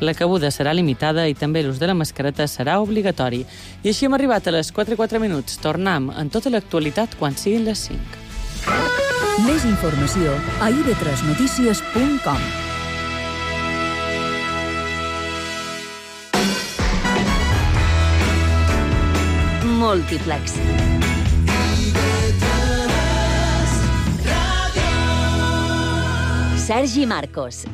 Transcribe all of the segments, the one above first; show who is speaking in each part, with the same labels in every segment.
Speaker 1: La cabuda serà limitada i també l'ús de la mascareta serà obligatori. I així hem arribat a les 4:04. Tornem en tota l'actualitat quan siguin les 5.
Speaker 2: Més informació a ib3notícies.com. Múltiplex. Sergi Marcos.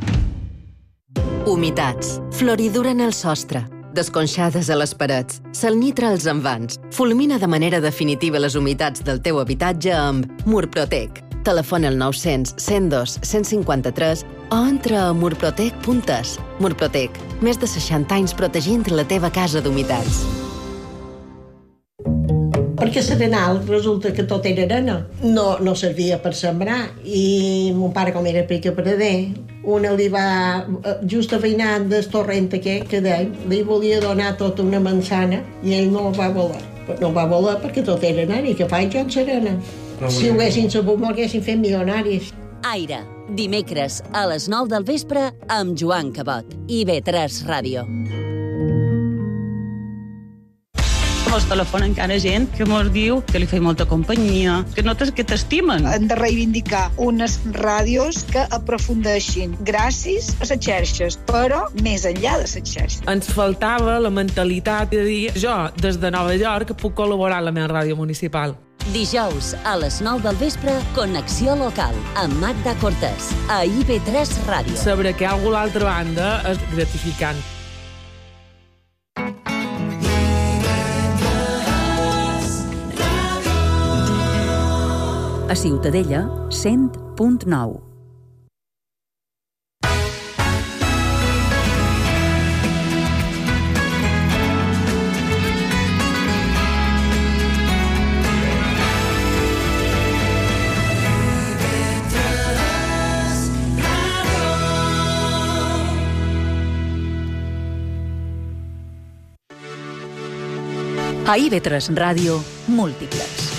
Speaker 3: Humitats, floridura en el sostre, desconxades a les parets, salnitra als envans. Fulmina de manera definitiva les humitats del teu habitatge amb Murprotec. Telefona al 900 102 153 o entra a murprotec.es. Murprotec, més de 60 anys protegint la teva casa d'humitats.
Speaker 4: Perquè l'Arenal resulta que tot era arena. No servia per sembrar. I mon pare, com era perader, una li va, just veïnant del torrent aquest que deia, li volia donar tota una manzana i ell no va voler. No va voler perquè tot era arena i que faig jo en l'arena. Si ho haguessin sabut, m'ho haguessin fet milionaris.
Speaker 2: Aire, dimecres a les 9 del vespre amb Joan Cabot. IB3 Ràdio.
Speaker 5: Mos telefona encara gent que mos diu que li feia molta companyia, que notes que t'estimen.
Speaker 6: Hem de reivindicar unes ràdios que aprofundeixin gràcies a les xarxes, però més enllà de les xarxes.
Speaker 7: Ens faltava la mentalitat de dir jo, des de Nova York, puc col·laborar a la meva ràdio municipal.
Speaker 2: Dijous a les 9 del vespre, Connexió Local, amb Magda Cortés, a IB3 Ràdio. Saber
Speaker 7: que algú a l'altra banda és gratificant.
Speaker 2: A Ciutadella, 100.9. A IB3 Ràdio, Múltiplex.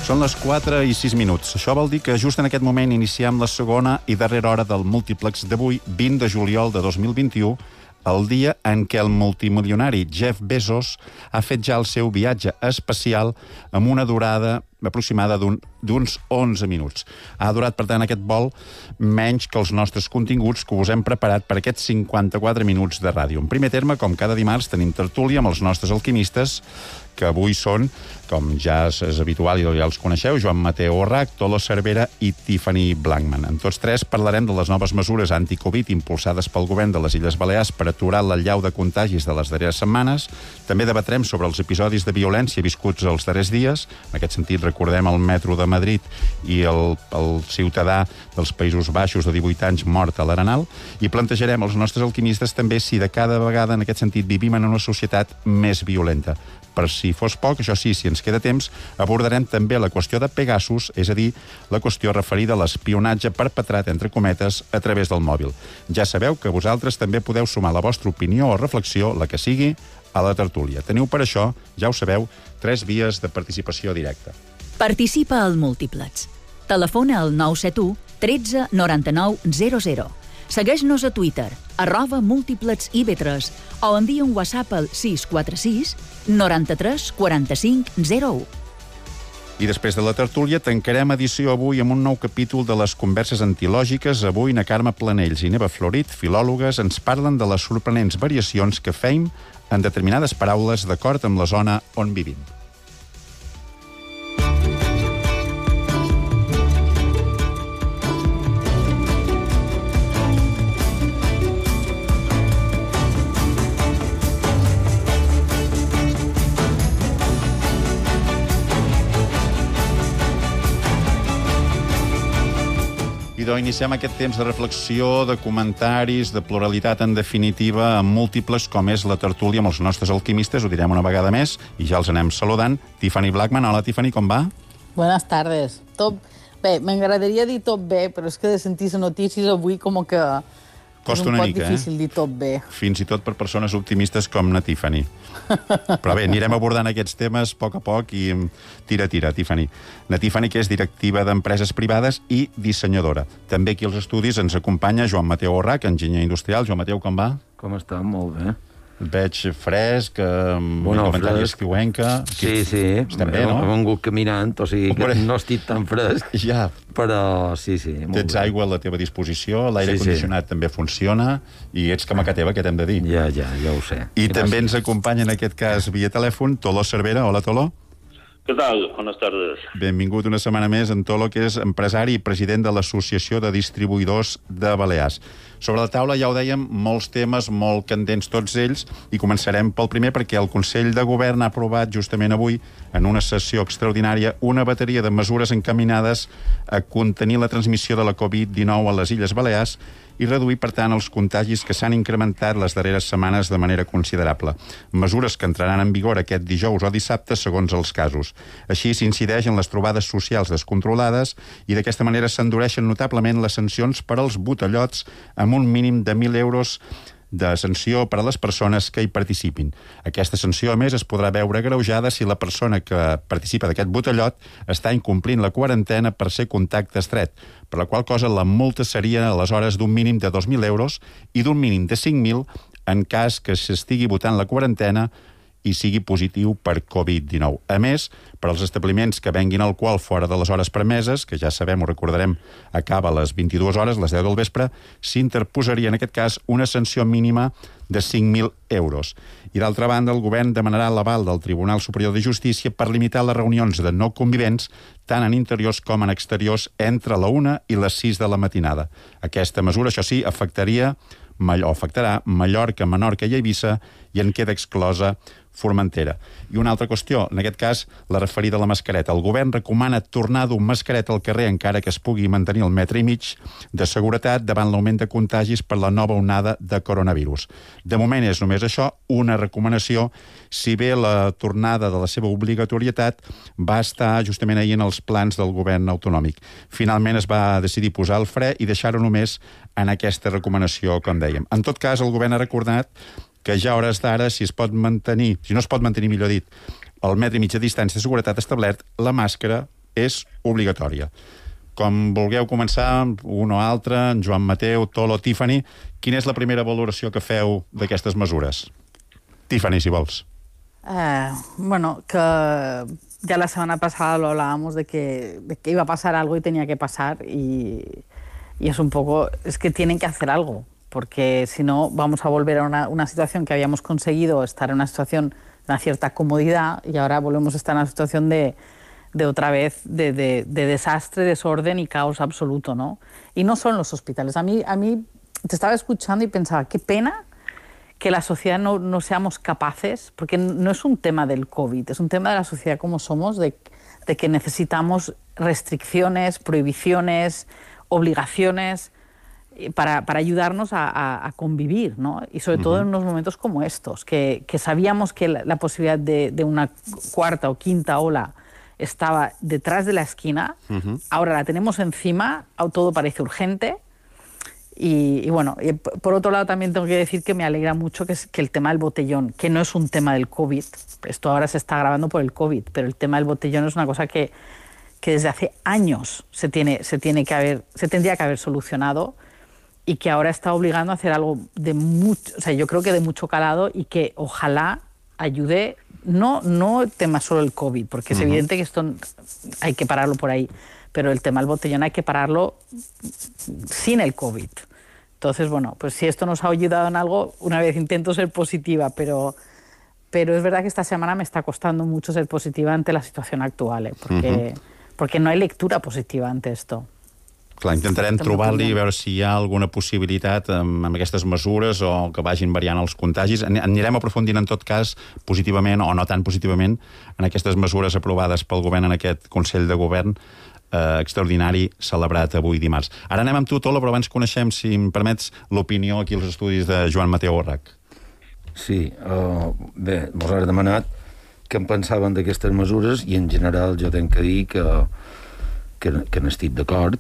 Speaker 8: Són les 4:06. Això vol dir que just en aquest moment iniciem la segona i darrera hora del múltiplex d'avui, 20 de juliol de 2021, el dia en què el multimilionari Jeff Bezos ha fet ja el seu viatge espacial amb una durada aproximada d'uns 11 minuts. Ha durat, per tant, aquest vol menys que els nostres continguts que us hem preparat per aquests 54 minuts de ràdio. En primer terme, com cada dimarts, tenim tertúlia amb els nostres alquimistes, que avui són, com ja és habitual i ja els coneixeu, Joan Mateu Orrach, Tolo Cervera i Tiffany Blackman. En tots tres parlarem de les noves mesures anti-Covid impulsades pel govern de les Illes Balears per aturar l'allau de contagis de les darreres setmanes. També debatrem sobre els episodis de violència viscuts els darrers dies. En aquest sentit, recordem el metro de Madrid i el ciutadà dels Països Baixos de 18 anys mort a l'Arenal. I plantejarem als nostres alquimistes també si de cada vegada, en aquest sentit, vivim en una societat més violenta. Per si fos poc, això sí, si ens queda temps, abordarem també la qüestió de Pegasus, és a dir, la qüestió referida a l'espionatge perpetrat, entre cometes, a través del mòbil. Ja sabeu que vosaltres també podeu sumar la vostra opinió o reflexió, la que sigui, a la tertúlia. Teniu per això, ja ho sabeu, 3 vies de participació directa.
Speaker 2: Participa al Múltiplex. Telefona al 971 13 99 00. Segueix-nos a Twitter, @múltiplexib3, o envia un WhatsApp al 646 93 45 01.
Speaker 8: I després de la tertúlia tancarem edició avui amb un nou capítol de les converses antilògiques. Avui na Carme Planells i Neva Florit, filòlogues, ens parlen de les sorprenents variacions que feim en determinades paraules d'acord amb la zona on vivim. Iniciem aquest temps de reflexió, de comentaris, de pluralitat, en definitiva, amb múltiples, com és la tertúlia amb els nostres alquimistes. Ho direm una vegada més i ja els anem saludant. Tiffany Blackman. Hola, Tiffany, com va?
Speaker 9: Buenas tardes. Tot bé. M'agradaria dir tot bé, però és que de sentir les notícies avui com que
Speaker 8: Costa una mica,
Speaker 9: difícil dir tot bé.
Speaker 8: Fins i tot per persones optimistes com na Tiffany. Però bé, anirem abordant aquests temes a poc i tira, Tiffany. Na Tiffany, que és directiva d'empreses privades i dissenyadora. També aquí als estudis ens acompanya Joan Mateu Orrach, enginyer industrial. Joan Mateu, com va?
Speaker 10: Com està? Molt bé.
Speaker 8: Et veig fresc, amb un comentari estiuenca.
Speaker 10: Sí.
Speaker 8: Estem bé, no?
Speaker 10: He vengut caminant, o sigui que no estic tan fresc.
Speaker 8: Ja.
Speaker 10: Però sí, molt
Speaker 8: Tens
Speaker 10: bé.
Speaker 8: aigua a la teva disposició, l'aire condicionat també funciona, i ets camaca teva, què t'hem de dir?
Speaker 10: Ja ho sé.
Speaker 8: I també ens acompanya, en aquest cas, via telèfon, Tolo Cervera. Hola, Tolo.
Speaker 11: ¿Qué tal? Buenas tardes.
Speaker 8: Benvingut una setmana més en Tolo, que és empresari i president de l'Associació de Distribuïdors de Balears. Sobre la taula, ja ho dèiem, molts temes molt candents tots ells, i començarem pel primer perquè el Consell de Govern ha aprovat justament avui, en una sessió extraordinària, una bateria de mesures encaminades a contenir la transmissió de la Covid-19 a les Illes Balears i reduir, per tant, els contagis que s'han incrementat les darreres setmanes de manera considerable. Mesures que entraran en vigor aquest dijous o dissabte, segons els casos. Així s'incideix en les trobades socials descontrolades i d'aquesta manera s'endureixen notablement les sancions per als botellots amb un mínim de 1.000 euros de sanció per a les persones que hi participin. Aquesta sanció, a més, es podrà veure agreujada si la persona que participa d'aquest botellot està incomplint la quarantena per ser contacte estret, per la qual cosa la multa seria aleshores d'un mínim de 2.000 euros i d'un mínim de 5.000 en cas que s'estigui votant la quarantena i sigui positiu per Covid-19. A més, per als establiments que venguin alcohol fora de les hores permeses, que ja sabem, ho recordarem, acaba a les 22 hores, les 10 del vespre, s'interposaria en aquest cas una sanció mínima de 5.000 euros. I d'altra banda, el govern demanarà l'aval del Tribunal Superior de Justícia per limitar les reunions de no convivents tant en interiors com en exteriors entre la 1 i les 6 de la matinada. Aquesta mesura, això sí, afectarà Mallorca, Menorca i Eivissa i en queda exclosa Formentera. I una altra qüestió, en aquest cas, la referida a la mascareta. El govern recomana tornar a dur mascareta al carrer encara que es pugui mantenir el 1,5 metres de seguretat davant l'augment de contagis per la nova onada de coronavirus. De moment és només això, una recomanació, si bé la tornada de la seva obligatorietat va estar justament ahir en els plans del govern autonòmic. Finalment es va decidir posar el fre i deixar-ho només en aquesta recomanació, com dèiem. En tot cas, el govern ha recordat que ja a hores d'ara, si no es pot mantenir, millor dit, el 1,5 metre de distància de seguretat establert, la màscara és obligatòria. Com vulgueu començar, un o altre, en Joan Mateu, Tolo, Tiffany, quina és la primera valoració que feu d'aquestes mesures? Tiffany, si vols.
Speaker 9: Bueno, que ya la semana pasada lo hablábamos de que iba a pasar algo y tenía que pasar y es un poco, es que tienen que hacer algo, porque si no vamos a volver a una situación que habíamos conseguido estar en una situación de una cierta comodidad y ahora volvemos a estar en una situación de otra vez de desastre, desorden y caos absoluto, ¿no? Y no solo en los hospitales. A mí te estaba escuchando y pensaba, qué pena que la sociedad no seamos capaces, porque no es un tema del COVID, es un tema de la sociedad como somos, de que necesitamos restricciones, prohibiciones, obligaciones para ayudarnos a convivir, ¿no? Y sobre todo en unos momentos como estos, que sabíamos que la posibilidad de una cuarta o quinta ola estaba detrás de la esquina, ahora la tenemos encima, todo parece urgente. Y bueno, por otro lado también tengo que decir que me alegra mucho que el tema del botellón, que no es un tema del COVID, esto ahora se está agravando por el COVID, pero el tema del botellón es una cosa que desde hace años se tendría que haber solucionado y que ahora está obligando a hacer algo de mucho, o sea, yo creo que de mucho calado y que ojalá ayude, no el tema solo el COVID, porque es evidente que esto hay que pararlo por ahí, pero el tema del botellón hay que pararlo sin el COVID. Entonces, bueno, pues si esto nos ha ayudado en algo, una vez intento ser positiva, pero es verdad que esta semana me está costando mucho ser positiva ante la situación actual, porque no hay lectura positiva ante esto.
Speaker 8: Clar, intentarem trobar-li i veure si hi ha alguna possibilitat amb aquestes mesures o que vagin variant els contagis. Anirem aprofundint en tot cas positivament o no tan positivament en aquestes mesures aprovades pel govern en aquest Consell de Govern extraordinari celebrat avui dimarts. Ara anem amb tu, Tolo, però abans coneixem, si em permets, l'opinió aquí als estudis de Joan Mateu Orrach.
Speaker 10: Sí, bé, mos has demanat què en pensaven d'aquestes mesures i en general jo tenc que dir que n'estic d'acord.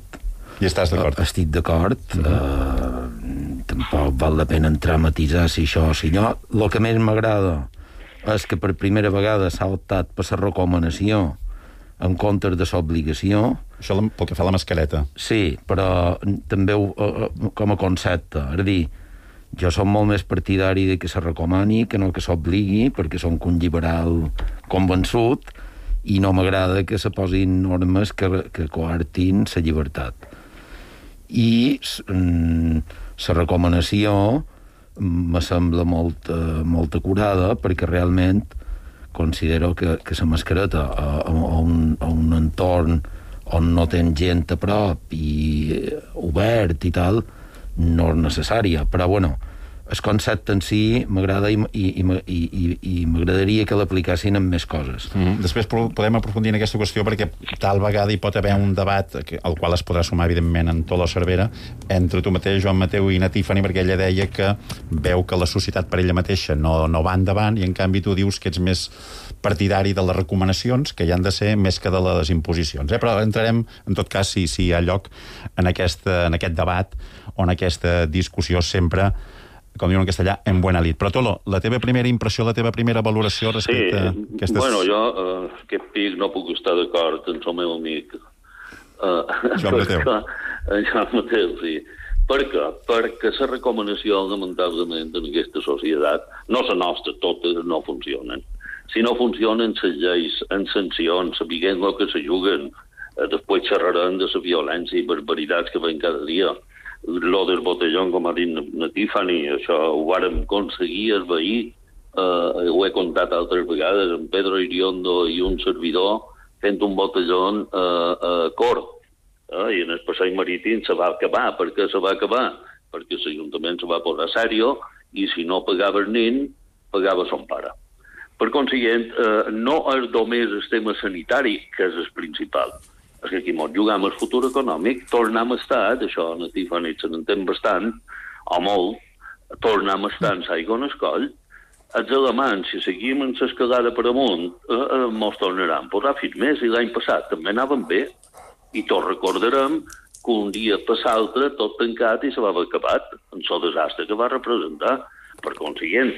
Speaker 8: I estàs d'acord?
Speaker 10: Estic d'acord. tampoc val la pena entrar a matisar si això o si no. El que més m'agrada és que per primera vegada s'ha optat per la recomanació en comptes de l'obligació.
Speaker 8: Això pel que fa a la mascareta.
Speaker 10: Sí, però també com a concepte. És a dir, jo som molt més partidari de que se recomani que no que s'obligui, perquè som un lliberal convençut i no m'agrada que se posin normes que coartin la llibertat. I la recomanació me sembla molt acurada, perquè realment considero que la mascareta a un entorn on no tens gent a prop i obert i tal, no és necessària. Però, bueno, el concepte en si m'agrada i m'agradaria que l'aplicassin en més coses.
Speaker 8: Després podem aprofundir en aquesta qüestió, perquè tal vegada hi pot haver un debat al qual es podrà sumar, evidentment, en tota la Cervera, entre tu mateix, Joan Mateu i na Tiffany, perquè ella deia que veu que la societat per ella mateixa no va endavant, i en canvi tu dius que ets més partidari de les recomanacions, que hi han de ser més que de les imposicions. Però entrarem, en tot cas, si hi ha lloc en aquest debat o en aquesta discussió sempre, com diuen en castellà, en buena lid. Però, Tolo, la teva primera impressió, la teva primera valoració respecte a aquestes...
Speaker 11: Bueno, jo, aquest pic no puc estar d'acord amb el meu amic.
Speaker 8: Joan Mateu.
Speaker 11: Joan Mateu, sí. Per què? Perquè la recomanació, lamentablement, en aquesta societat, no la nostra, totes no funcionen. Si no funcionen les lleis, en sancions, sapiguem el que se juguen, després xerrarem de la violència i barbaritats que ven cada dia. Lo del botellón, com ha dit na Tiffany, això ho vàrem aconseguir esvair, ho he contat altres vegades, en Pedro Iriondo i un servidor fent un botellón cort, i en el passeig marítim se va acabar. Per què se va acabar? Perquè l'Ajuntament se va posar sèrio i si no pagava el nen, pagava son pare. Per consiguient, no és només el tema sanitari que és el principal. És que aquí ens jugam el futur econòmic, tornem a estar, això a Tiffany se n'entén bastant, o molt, tornem a estar en l'aigua en el coll. Els alemanys, si seguim en l'escalada per amunt, ens tornaran a posar fins més, i l'any passat també anaven bé, i tots recordarem que un dia per l'altre tot tancat i se va haver acabat, en el desastre que va representar. Per consiguient,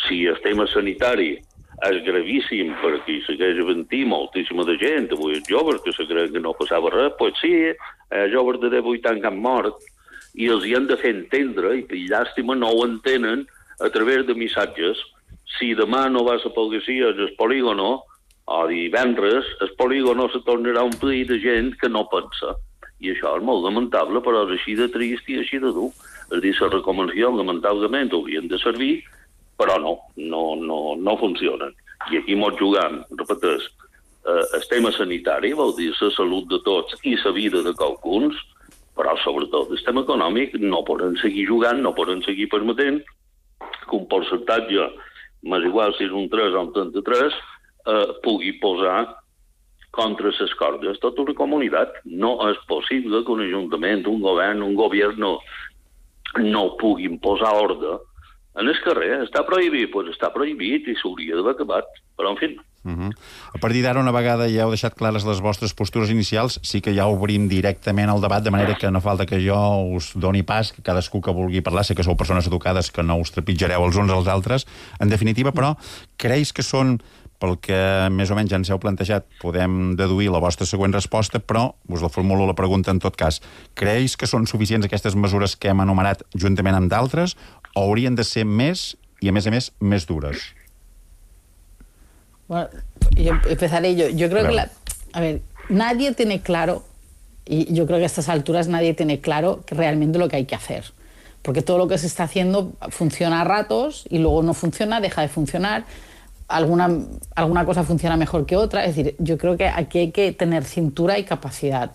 Speaker 11: si el tema sanitari és gravíssim perquè hi segueix havent-hi moltíssima de gent, avui els joves que se creuen que no passava res, doncs sí, joves de 18 anys que han mort, i els hi han de fer entendre, i per llàstima no ho entenen a través de missatges. Si demà no va a la policia al polígono, o divendres, el polígono se tornarà a omplir de gent que no pensa. I això és molt lamentable, però és així de trist i així de dur. És a dir, les recomanacions, lamentablement, haurien de servir, però no funcionen. I aquí ens jugam, repeteix, el tema sanitari, vol dir la salut de tots i la vida de qualcuns, però sobretot el tema econòmic no poden seguir jugant, no poden seguir permetent que un percentatge, més igual si és un 3 o un 33, pugui posar contra les cordes tota una comunitat. No és possible que un ajuntament, un govern, un govern no puguin posar ordre en el carrer. Està prohibit? Doncs està prohibit i s'hauria d'haver acabat. Però, en fi...
Speaker 8: A partir d'ara, una vegada ja heu deixat clares les vostres postures inicials, sí que ja obrim directament el debat, de manera que no falta que jo us doni pas, que cadascú que vulgui parlar, sé que sou persones educades, que no us trepitjareu els uns als altres. En definitiva, però, creus que són, pel que més o menys ja ens heu plantejat, podem deduir la vostra següent resposta, però us la formulo la pregunta en tot cas. Creus que són suficients aquestes mesures que hem enumerat juntament amb d'altres, o haurien de ser més y, a més, més dures?
Speaker 9: Bueno, yo empezaré yo. Yo creo que a ver, nadie tiene claro, y yo creo que a estas alturas nadie tiene claro realmente lo que hay que hacer. Porque todo lo que se está haciendo funciona a ratos y luego no funciona, deja de funcionar. Alguna cosa funciona mejor que otra. Es decir, yo creo que aquí hay que tener cintura y capacidad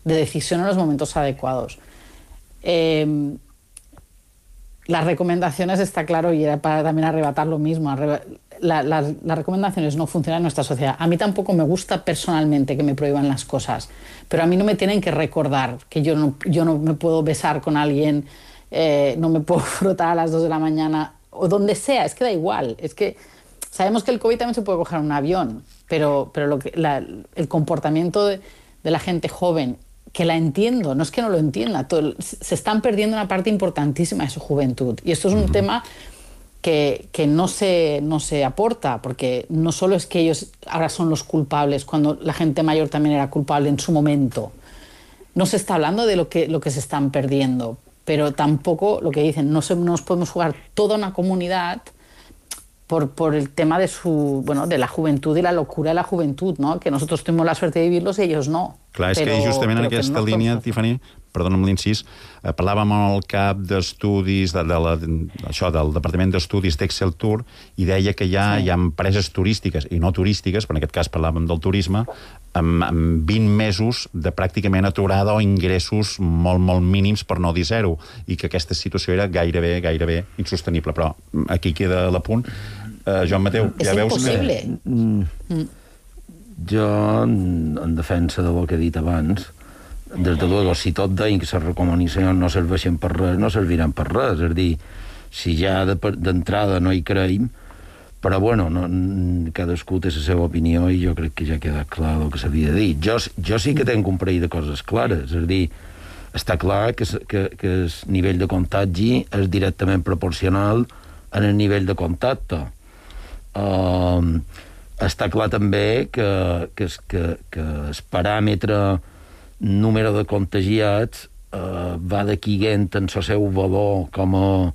Speaker 9: de decisión en los momentos adecuados. Las recomendaciones, está claro, y era para también arrebatar lo mismo, las recomendaciones no funcionan en nuestra sociedad. A mí tampoco me gusta personalmente que me prohíban las cosas, pero a mí no me tienen que recordar que yo no me puedo besar con alguien, no me puedo frotar a las 2 de la mañana, o donde sea, es que da igual. Es que sabemos que el COVID también se puede coger en un avión, pero el comportamiento de la gente joven que la entiendo, no es que no lo entienda, se están perdiendo una parte importantísima de su juventud. Y esto es un tema que no se aporta, porque no solo es que ellos ahora son los culpables, cuando la gente mayor también era culpable en su momento. No se está hablando de lo que se están perdiendo, pero tampoco, lo que dicen, no nos podemos jugar toda una comunidad por el tema de la juventud y la locura de la juventud, no? Que nosotros tuvimos la suerte de vivirlos i ells no.
Speaker 8: Clar, és que justament en aquesta línia, Tiffany, perdona'm l'incís, parlàvem amb el cap d'estudis del Departament d'Estudis d'Excel Tour i deia que hi ha empreses turístiques i no turístiques, però en aquest cas parlàvem del turisme, amb 20 mesos de pràcticament aturada o ingressos molt, molt mínims, per no dir zero, i que aquesta situació era gairebé insostenible. Però aquí queda l'apunt. Joan Mateu, ja veus que... És impossible.
Speaker 10: Jo, en defensa del que he dit abans, des de luego, si tot deien que les recomanacions no serveixen per res, no serviran per res. És a dir, si ja d'entrada no hi creiem, però bueno, cadascú té la seva opinió i jo crec que ja queda clar el que s'havia de dir. Jo sí que tenc un parell de coses clares. És a dir, està clar que el nivell de contagi és directament proporcional en el nivell de contacte. Està clar també que el paràmetre número de contagiats va decaient en el seu valor com a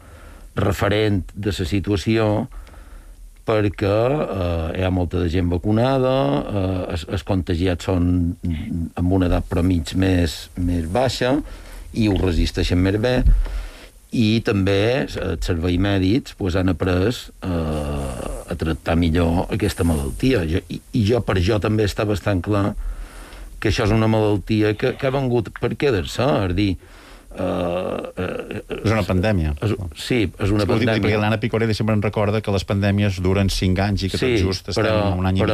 Speaker 10: referent de la situació perquè hi ha molta de gent vacunada, els contagiats són amb una edat promig més baixa i ho resisteixen més bé, i també els serveis mèdics han après a tractar millor aquesta malaltia. I per jo també està bastant clar que això és una malaltia que ha vengut per quedar-se, és a dir...
Speaker 8: És una pandèmia.
Speaker 10: Sí, és una pandèmia.
Speaker 8: Perquè l'Anna Picoré sempre ens recorda que les pandèmies duren 5 anys i que tot just estem un any i mig.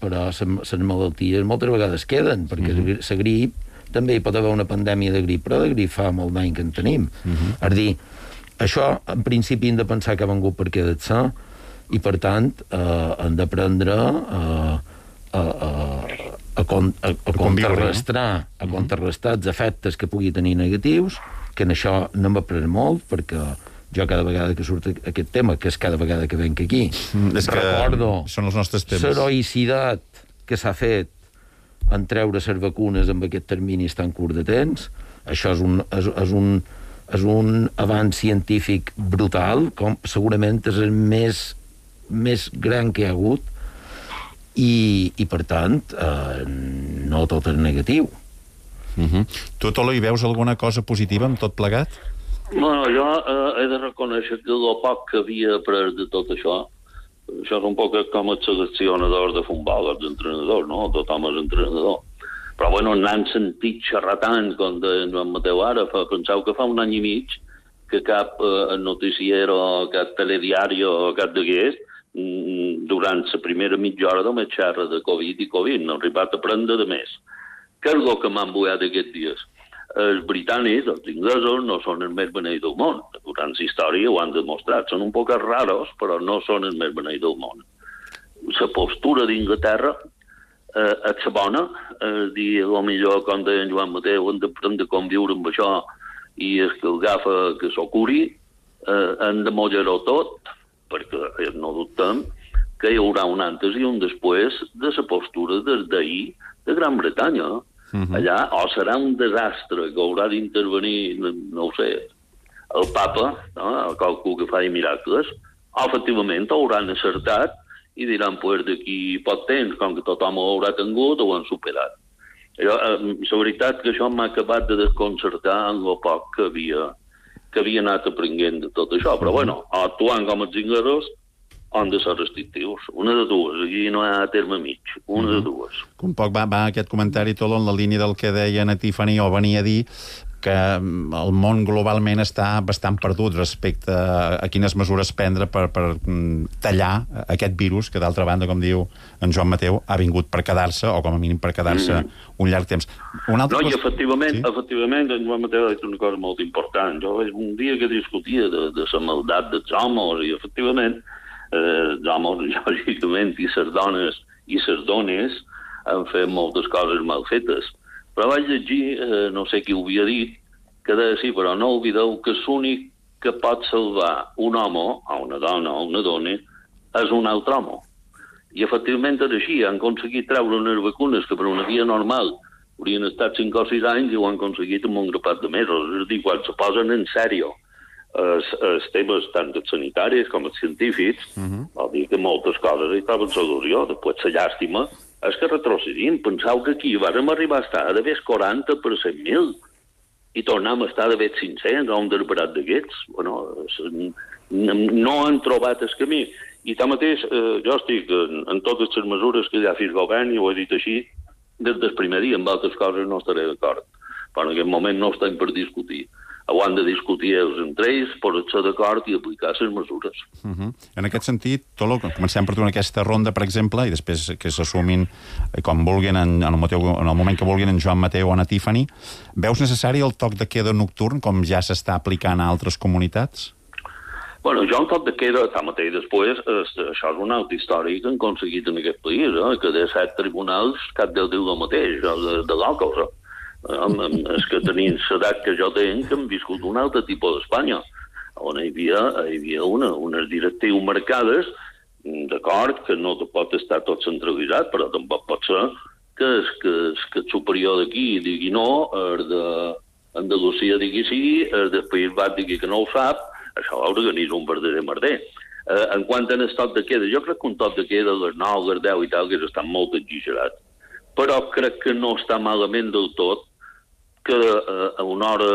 Speaker 10: Però les malalties moltes vegades queden, perquè la grip també hi pot haver una pandèmia de grip, però de grip fa molt d'any que en tenim. És a dir, això en principi hem de pensar que ha vengut per quedar-se i per tant hem d'aprendre a contrarrestar els efectes que pugui tenir negatius, que en això no m'aprèn molt, perquè jo cada vegada que surt aquest tema, que és cada vegada que venc aquí, recordo l'heroïcitat que s'ha fet en treure les vacunes amb aquest termini tan curt de temps. Això és un avanç científic brutal, com segurament és el més gran que hi ha hagut, i per tant no tot és negatiu.
Speaker 8: Tu, Tolo, hi veus alguna cosa positiva amb tot plegat?
Speaker 11: Bueno, jo he de reconèixer que el poc que havia après de tot això és un poc com els seleccionadors de futbol, els entrenadors, no? Tothom és entrenador. Però, bueno, n'han sentit xerrar tant, com de Joan Mateu ara, penseu que fa un any i mig que cap noticiero, cap telediari o cap d'aquest, durant la primera mitja hora només xerra de Covid i Covid, no ha arribat a prendre de més. Què és el que m'han buiat aquests dies? Els britànics, els inglesos, no són els més beneïts del món. Durant la història ho han demostrat. Són un poc raros, però no són els més beneïts del món. La postura d'Inglaterra és la bona. Dir, potser, com deia Joan Mateu, hem d'aprendre a conviure amb això i és que el agafa que s'ho curi. Hem de mullar-ho tot, perquè no dubtem que hi haurà un antes i un després de la postura des d'ahir de Gran Bretanya. Allà o serà un desastre que haurà d'intervenir, no ho sé, el papa, qualcú que faci miracles, o efectivament hauran acertat i diran, pues, d'aquí poc temps, com que tothom ho haurà tingut, ho han superat. La veritat que això m'ha acabat de desconcertar en el poc que havia anat aprenent de tot això. Però, bueno, actuant com els inglesos, han de ser restrictius. Una de dues. Aquí no hi ha terme mig. Una de dues.
Speaker 8: Un poc va aquest comentari, Tolo, en la línia del que deia a Tiffany, o venia a dir que el món globalment està bastant perdut respecte a quines mesures prendre per tallar aquest virus, que d'altra banda, com diu en Joan Mateu, ha vingut per quedar-se, o com a mínim per quedar-se un llarg temps.
Speaker 11: I efectivament, en Joan Mateu ha dit una cosa molt important. Jo un dia que discutia de la maldat dels homes, i efectivament els homes, lògicament, i les dones han fet moltes coses mal fetes. Però vaig llegir, no sé qui ho havia dit, que deia, sí, però no oblideu que l'únic que pot salvar un home, o una dona, o una dona, és un altre home. I efectivament és així, han aconseguit treure unes vacunes que per una via normal haurien estat 5 o 6 anys i ho han aconseguit en un grapat de mesos. És a dir, quan se posen en sèrio els temes tant els sanitaris com els científics, vol dir que moltes coses hi troben solució. Després la llàstima és que retrocedim. Penseu que aquí vam arribar a estar d'haver 40 per 100.000 i tornem a estar d'haver 500 o un derbarat d'aquests. Bueno, no han trobat el camí. I tanmateix, jo estic en totes les mesures que ja ha fet el govern, i ho he dit així, des del primer dia, amb altres coses no estaré d'acord. Però en aquest moment no estem per discutir. Ho han de discutir ells entre ells, posar-se d'acord i aplicar les mesures.
Speaker 8: En aquest sentit, Tolo, comencem per tu en aquesta ronda, per exemple, i després que s'assumin com vulguin, en el moment que vulguin, en Joan Mateu o en Tiffany. Veus necessari el toc de queda nocturn, com ja s'està aplicant a altres comunitats?
Speaker 11: Bueno, jo un toc de queda, tanmateix després, això és una altra història que han aconseguit en aquest país, que de 7 tribunals cap del diu el mateix, de l'Alcos. És que tenint l'edat que jo tenc, hem viscut un altre tipus d'Espanya, on hi havia unes directrius marcades, d'acord, que no pot estar tot centralitzat, però tampoc pot ser que el superior d'aquí digui no, el d'Andalusia digui sí, el del País Basc digui que no ho sap. Això organitza un verdader merder. En quant a l'estat de queda, jo crec que un toc de queda a les 9, a les 10 i tal, que està molt exagerat. Però crec que no està malament del tot, que a una hora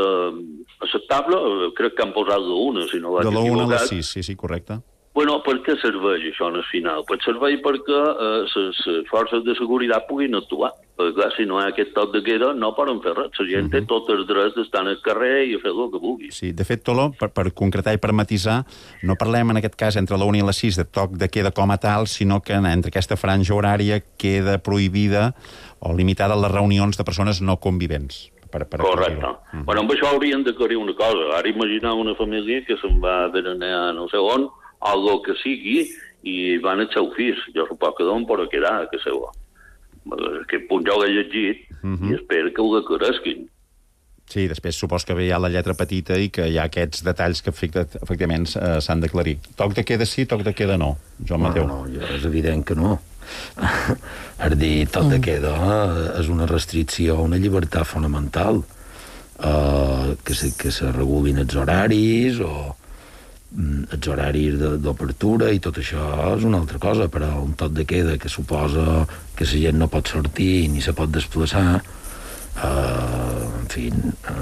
Speaker 11: acceptable, crec que han posat la 1, si no vaig equivocat.
Speaker 8: De la 1 a les 6, sí, correcte.
Speaker 11: Bueno, per què serveix això en el final? Pues serveix perquè les forces de seguretat puguin actuar. Perquè, clar, si no hi ha aquest toc de queda, no poden fer res. La gent té tots els drets d'estar al carrer i a fer el que vulgui.
Speaker 8: Sí, de fet, Tolo, per concretar i per matisar, no parlem en aquest cas entre la 1 i la 6 de toc de queda com a tal, sinó que entre aquesta franja horària queda prohibida o limitada les reunions de persones no convivents.
Speaker 11: Correcte. Bueno, amb això haurien d'aclarir una cosa. Ara imaginar una família que se'n va a berenar no sé on, o el que sigui, i van al seu fills. Jo suposo que d'on pot quedar a casa seva. Aquest punt jo l'he llegit i espero que ho aclaresquin.
Speaker 8: Sí, després supos que hi ha la lletra petita i que hi ha aquests detalls que efectivament s'han d'aclarir. Toc de queda sí, toc de queda no. Joan Mateu.
Speaker 10: No, és evident que no. És dir, toc de queda és una restricció a una llibertat fonamental. Que se regulin els horaris o els horaris d'obertura i tot això és una altra cosa, però un toc de queda que suposa que la gent no pot sortir ni se pot desplaçar, en fi...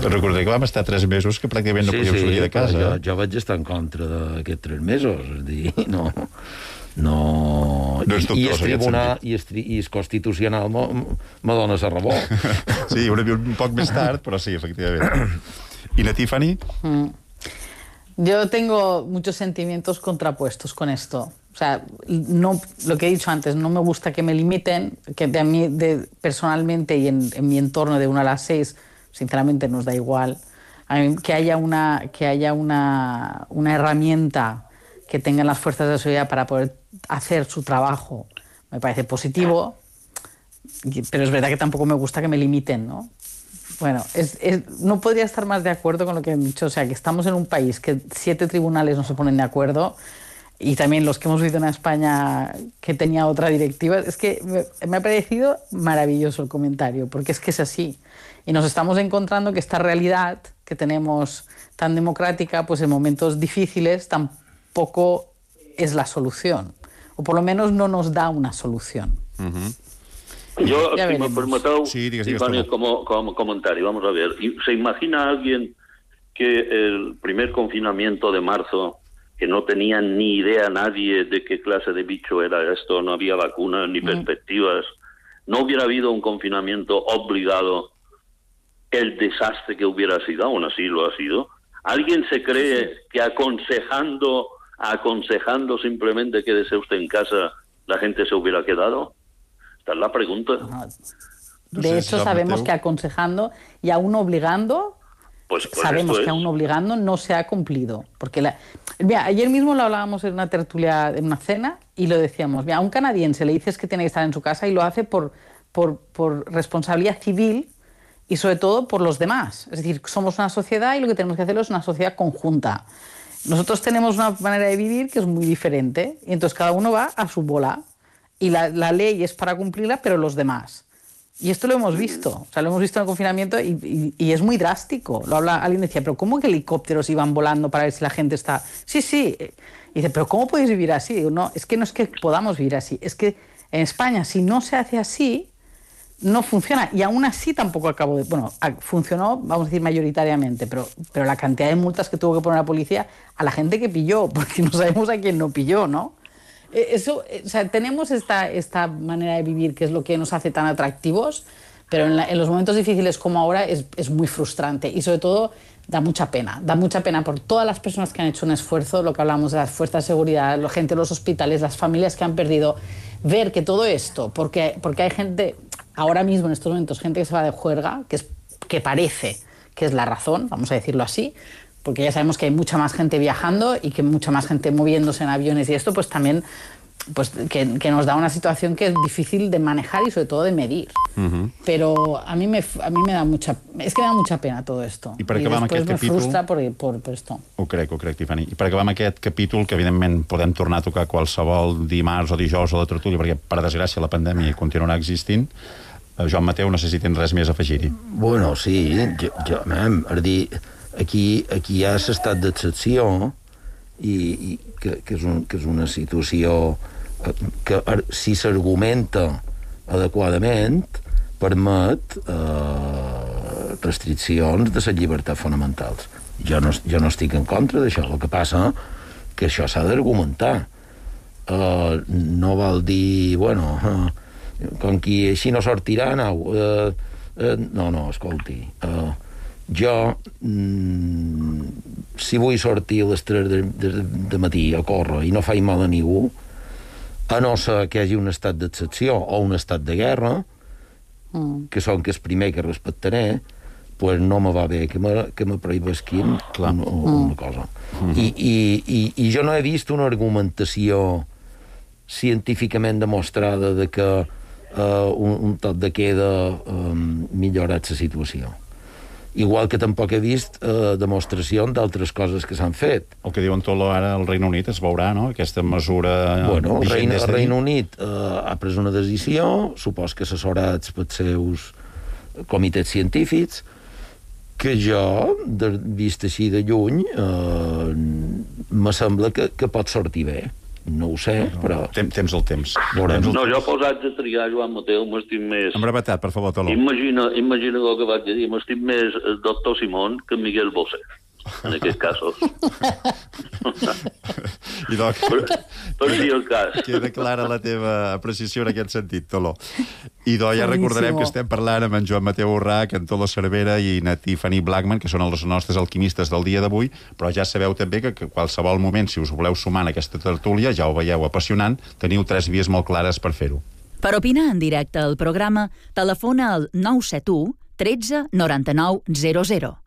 Speaker 8: Recordeu que vam estar 3 mesos que pràcticament no podíem sortir de casa.
Speaker 10: Jo vaig estar en contra d'aquests 3 mesos, és dir, no és dubtós, i el Constitucional me dona la raó.
Speaker 8: Sí, un poc més tard, però sí, efectivament. I la Tiffany?
Speaker 9: Yo tengo muchos sentimientos contrapuestos con esto. O sea, no, lo que he dicho antes, no me gusta que me limiten, que a mí personalmente y en mi entorno de 1 a las 6, sinceramente nos da igual. A mí, que haya una herramienta que tengan las fuerzas de seguridad para poder hacer su trabajo, me parece positivo, pero es verdad que tampoco me gusta que me limiten, ¿no? Bueno, no podría estar más de acuerdo con lo que han dicho. O sea, que estamos en un país que 7 tribunales no se ponen de acuerdo, y también los que hemos vivido en España que tenía otra directiva. Es que me ha parecido maravilloso el comentario, porque es que es así. Y nos estamos encontrando que esta realidad que tenemos tan democrática, pues en momentos difíciles tampoco es la solución. O por lo menos no nos da una solución.
Speaker 11: Yo, si me permito, como comentario, vamos a ver. ¿Se imagina alguien que el primer confinamiento de marzo, que no tenía ni idea nadie de qué clase de bicho era esto, no había vacunas ni perspectivas, no hubiera habido un confinamiento obligado, el desastre que hubiera sido? Aún así lo ha sido. ¿Alguien se cree que aconsejando simplemente quédese usted en casa, la gente se hubiera quedado? Esta es la pregunta.
Speaker 9: De hecho, sabemos que aconsejando y aún obligando, sabemos que aún obligando no se ha cumplido. Porque mira, ayer mismo lo hablábamos en una tertulia, en una cena, y lo decíamos. Mira, a un canadiense le dices que tiene que estar en su casa y lo hace por responsabilidad civil, y sobre todo por los demás. Es decir, somos una sociedad y lo que tenemos que hacer es una sociedad conjunta. Nosotros tenemos una manera de vivir que es muy diferente y entonces cada uno va a su bola y la ley es para cumplirla, pero los demás. Y esto lo hemos visto, o sea, lo hemos visto en el confinamiento y es muy drástico. Alguien decía, pero ¿cómo que helicópteros iban volando para ver si la gente está...? Sí. Y dice, pero ¿cómo podéis vivir así? Digo, no es que podamos vivir así, es que en España si no se hace así, no funciona. Y aún así tampoco funcionó, vamos a decir, mayoritariamente, pero la cantidad de multas que tuvo que poner la policía a la gente que pilló, porque no sabemos a quién no pilló, ¿no? Tenemos esta manera de vivir que es lo que nos hace tan atractivos, pero en los momentos difíciles como ahora es muy frustrante y sobre todo da mucha pena por todas las personas que han hecho un esfuerzo, lo que hablamos de las fuerzas de seguridad, la gente de los hospitales, las familias que han perdido, ver que todo esto, porque hay gente, ahora mismo en estos momentos, gente que se va de juerga, que parece que es la razón, vamos a decirlo así, porque ya sabemos que hay mucha más gente viajando y que mucha más gente moviéndose en aviones y esto pues también que nos da una situación que es difícil de manejar y sobre todo de medir. Pero a mí me da mucha pena todo esto.
Speaker 8: I per acabar amb aquest capítol...
Speaker 9: me frustra per esto.
Speaker 8: Ho crec, Tiffany. I per acabar amb aquest capítol, que evidentment podem tornar a tocar qualsevol dimarts o dijous a la tertúlia, perquè per desgràcia la pandèmia continuarà existint, Joan Mateu, no sé si tens res més a afegir-hi.
Speaker 10: Bueno, sí, aquí hi ha l'estat d'excepció i que és una situació que si s'argumenta adequadament permet restriccions de les llibertats fonamentals. Jo no estic en contra d'això, el que passa que això s'ha d'argumentar. No vol dir, bueno, com qui així no sortirà, no, escolti, jo si vull sortir a les 3 de matí a córrer i no faig mal a ningú, a no ser que hi hagi un estat d'excepció o un estat de guerra, que són que és primer que respectaré, pues no me va bé que me prohibesquin una cosa. I jo no he vist una argumentació científicament demostrada de que un toc de queda millorat la situació. Igual que tampoc he vist demostracions d'altres coses que s'han fet.
Speaker 8: El que diuen tot ara al Regne Unit es veurà, no?, aquesta mesura...
Speaker 10: Bueno, el Regne Unit ha pres una decisió, supos que assessorats pels seus comitès científics, que jo, vist així de lluny, me sembla que pot sortir bé. No ho sé, però...
Speaker 8: Temps el temps.
Speaker 11: No, jo posats a triar, Joan Mateu, m'estim més...
Speaker 8: Amb brevetat, per favor, Toló.
Speaker 11: Imagina el que vaig dir, m'estim més el doctor Simón que Miguel Bosé, en aquests casos. Per dir el cas.
Speaker 8: Queda clara la teva apreciació en aquest sentit, Toló. I ja recordarem que estem parlant amb en Joan Mateu Urrach, en Toló Cervera i na Tiffany Blackman, que són els nostres alquimistes del dia d'avui, però ja sabeu també que qualsevol moment, si us voleu sumar en aquesta tertúlia, ja ho veieu apassionant, teniu 3 vies molt clares per fer-ho.
Speaker 2: Per opinar en directe al programa, telefona al 971 13 99 00.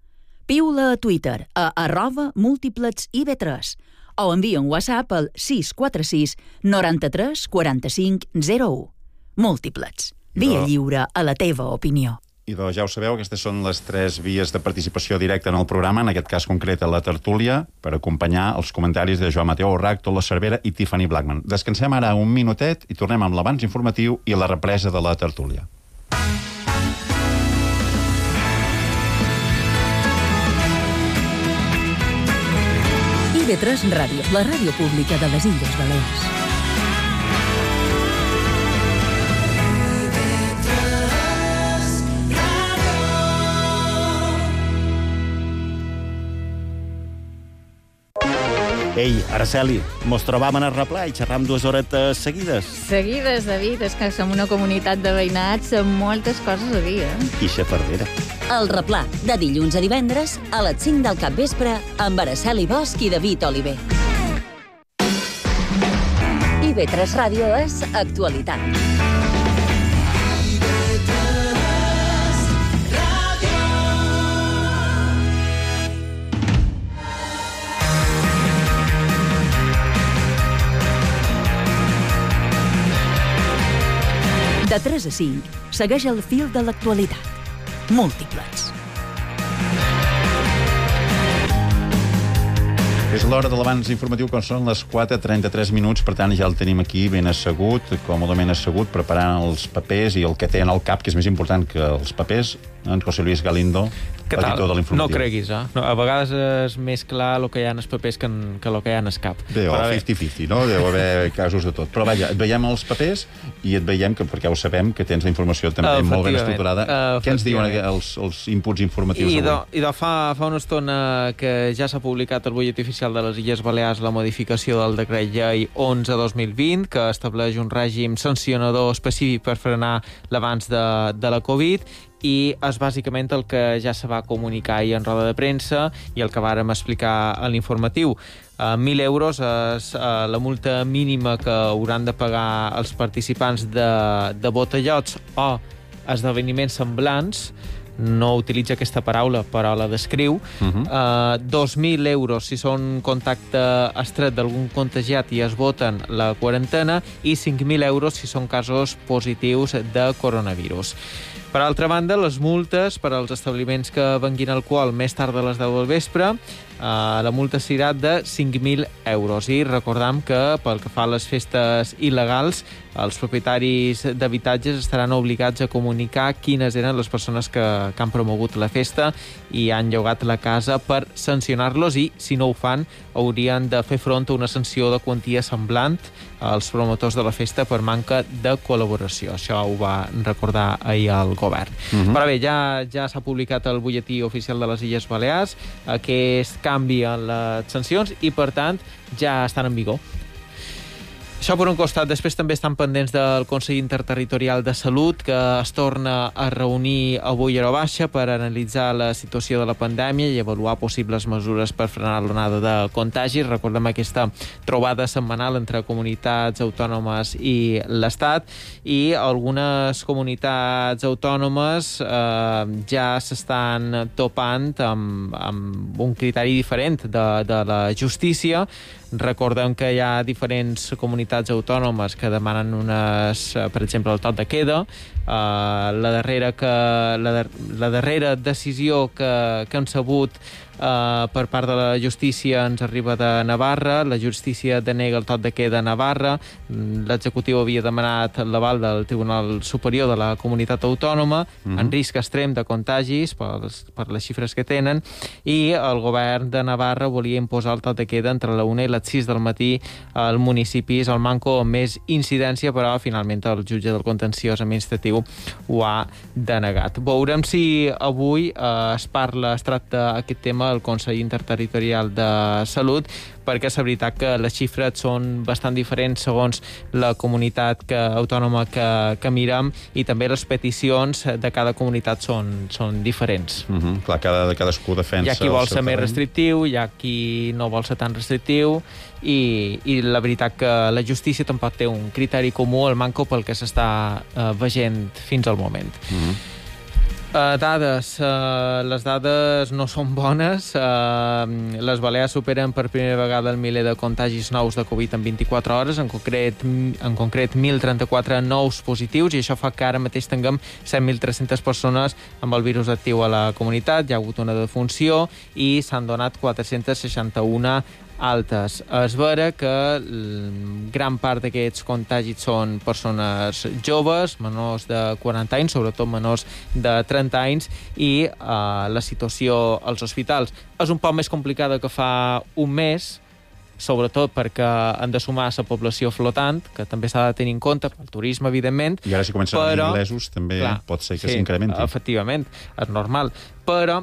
Speaker 2: Piula a Twitter a @múltiplexIV3 o envia un WhatsApp al 646 93 45 01. Múltiplex. Via lliure a la teva opinió.
Speaker 8: I doncs ja ho sabeu, aquestes són les 3 vies de participació directa en el programa, en aquest cas concret a la tertúlia, per acompanyar els comentaris de Joan Mateu Urrach, Toló Cervera i Tiffany Blackman. Descansem ara un minutet i tornem amb l'avanç informatiu i la represa de la tertúlia.
Speaker 2: IB3 Ràdio, la ràdio pública de les Illes Balears.
Speaker 12: Ei, Araceli, mos trobam en el replà i xerram 2 horetes seguides.
Speaker 13: Seguides, David, és que som una comunitat de veïnats amb moltes coses a dir,
Speaker 12: I xafardera.
Speaker 14: El replà, de dilluns a divendres, a les 5 del capvespre, amb Araceli Bosch i David Oliver. IB3 Ràdio és actualitat.
Speaker 2: De 3 a 5, segueix el fil de l'actualitat. múltiplets.
Speaker 8: És l'hora de l'abans informatiu, quan són les 4:33 minuts, per tant ja el tenim aquí ben assegut, còmodament assegut, preparant els papers i el que té en el cap, que és més important que els papers, en José Luis Galindo, editor de l'Informatiu.
Speaker 15: No creguis, eh? No, a vegades és més clar el que hi ha en els papers que el que hi ha en el cap.
Speaker 8: Bé, o 50-50, no? Deu haver casos de tot. Però vaja, et veiem els papers i et veiem, perquè ho sabem, que tens la informació també molt ben estructurada. Què ens diuen els inputs informatius avui?
Speaker 15: Fa una estona que ja s'ha publicat al butlletí oficial de les Illes Balears la modificació del decret llei 11/2020, que estableix un règim sancionador específic per frenar l'avanç de la Covid, i és bàsicament el que ja se va comunicar ahir en roda de premsa i el que vàrem explicar a l'informatiu. 1.000 euros és la multa mínima que hauran de pagar els participants de botellots o esdeveniments semblants. No utilitza aquesta paraula, però la descriu. 2.000 euros si són contacte estret d'algun contagiat i es voten la quarantena, i 5.000 euros si són casos positius de coronavirus. Per altra banda, les multes per als establiments que venguin alcohol més tard de les 10 del vespre, la multa serà de 5.000 euros. I recordam que, pel que fa a les festes il·legals, els propietaris d'habitatges estaran obligats a comunicar quines eren les persones que han promogut la festa i han llogat la casa per sancionar-los, i, si no ho fan, haurien de fer front a una sanció de quantia semblant als promotors de la festa per manca de col·laboració. Això ho va recordar ahir el govern. Però bé, ja s'ha publicat el butlletí oficial de les Illes Balears aquest canvi en les sancions i, per tant, ja estan en vigor. Això per un costat. Després també estan pendents del Consell Interterritorial de Salut, que es torna a reunir avui a hora baixa per analitzar la situació de la pandèmia i avaluar possibles mesures per frenar l'onada de contagis. Recordem aquesta trobada setmanal entre comunitats autònomes i l'Estat, i algunes comunitats autònomes ja s'estan topant amb un criteri diferent de la justícia. Recordem que hi ha diferents comunitats autònomes que demanen per exemple, el toc de queda. La darrera decisió que hem sabut per part de la justícia ens arriba de Navarra. La justícia denega el toc de queda a Navarra. L'executiu havia demanat l'aval del Tribunal Superior de la Comunitat Autònoma en risc extrem de contagis per les xifres que tenen, i el govern de Navarra volia imposar el toc de queda entre la 1 i les 6 del matí al municipis al manco amb més incidència, però finalment el jutge del contenciós administratiu ho ha denegat. Veurem si avui es tracta aquest tema al Consell Interterritorial de Salut, perquè és veritat que les xifres són bastant diferents segons la comunitat autònoma que mirem, i també les peticions de cada comunitat són diferents.
Speaker 8: Clar, cadascú defensa...
Speaker 15: Hi ha qui vol ser més restrictiu, hi ha qui no vol ser tan restrictiu, i la veritat que la justícia tampoc té un criteri comú, el manco pel que s'està veient fins al moment. Dades. Les dades no són bones. Les Balears superen per primera vegada el miler de contagis nous de Covid en 24 hores, en concret 1.034 nous positius, i això fa que ara mateix tinguem 7.300 persones amb el virus actiu a la comunitat. Hi ha hagut una defunció i s'han donat 461 altes. És vera que gran part d'aquests contagis són persones joves, menors de 40 anys, sobretot menors de 30 anys, i la situació als hospitals és un poc més complicada que fa un mes, sobretot perquè han de sumar la població flotant, que també s'ha de tenir en compte, el turisme, evidentment.
Speaker 8: I ara si comencen a venir inglesos, també pot ser que s'incrementi.
Speaker 15: Efectivament, és normal. Però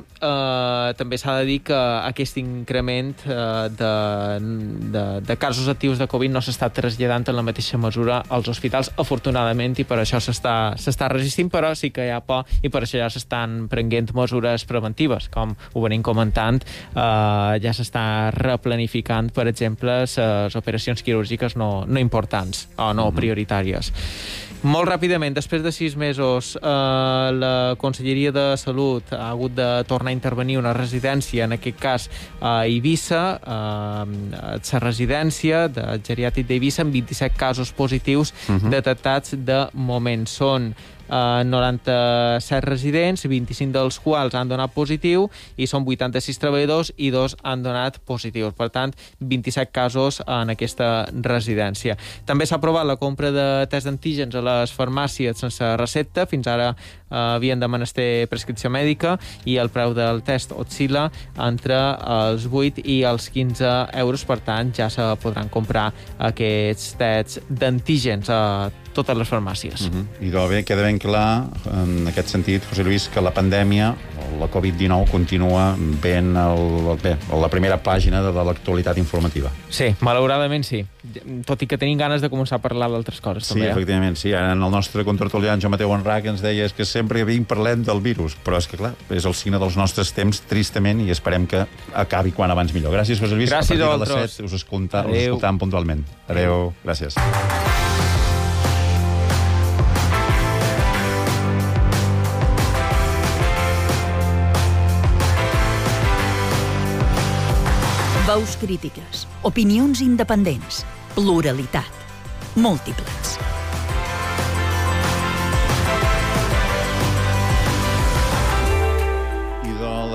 Speaker 15: també s'ha de dir que aquest increment de casos actius de Covid no s'està traslladant en la mateixa mesura als hospitals, afortunadament, i per això s'està resistint, però sí que hi ha por, i per això ja s'estan prenent mesures preventives. Com ho venim comentant, ja s'està replanificant, per exemple, les operacions quirúrgiques no importants o no prioritàries. Molt ràpidament, després de 6 mesos, la Conselleria de Salut ha hagut de tornar a intervenir una residència, en aquest cas a Eivissa, la residència de geriàtric d'Eivissa, amb 27 casos positius detectats de moment. Són 97 residents, 25 dels quals han donat positiu, i són 86 treballadors i 2 han donat positius. Per tant, 27 casos en aquesta residència. També s'ha aprovat la compra de test d'antígens a les farmàcies sense recepta. Fins ara havien de menester prescripció mèdica i el preu del test oscil·la entre els 8 i els 15 euros. Per tant, ja se podran comprar aquests tests d'antígens a totes les farmàcies.
Speaker 8: I bé, queda ben clar, en aquest sentit, José Luis, que la pandèmia, la Covid-19, continua ben la primera pàgina de l'actualitat informativa.
Speaker 15: Sí, malauradament sí. Tot i que tenim ganes de començar a parlar d'altres coses.
Speaker 8: Sí,
Speaker 15: també,
Speaker 8: efectivament, sí. En el nostre contertulià, en Joan Mateu Enrac, ens deia que sempre parlem del virus, però és que, clar, és el signe dels nostres temps, tristament, i esperem que acabi quan abans millor. Gràcies, José Luis.
Speaker 15: Gràcies
Speaker 8: a partir de les 7 us escoltàvem puntualment. Adéu. Gràcies.
Speaker 2: Veus crítiques, opinions independents, pluralitat, múltiples.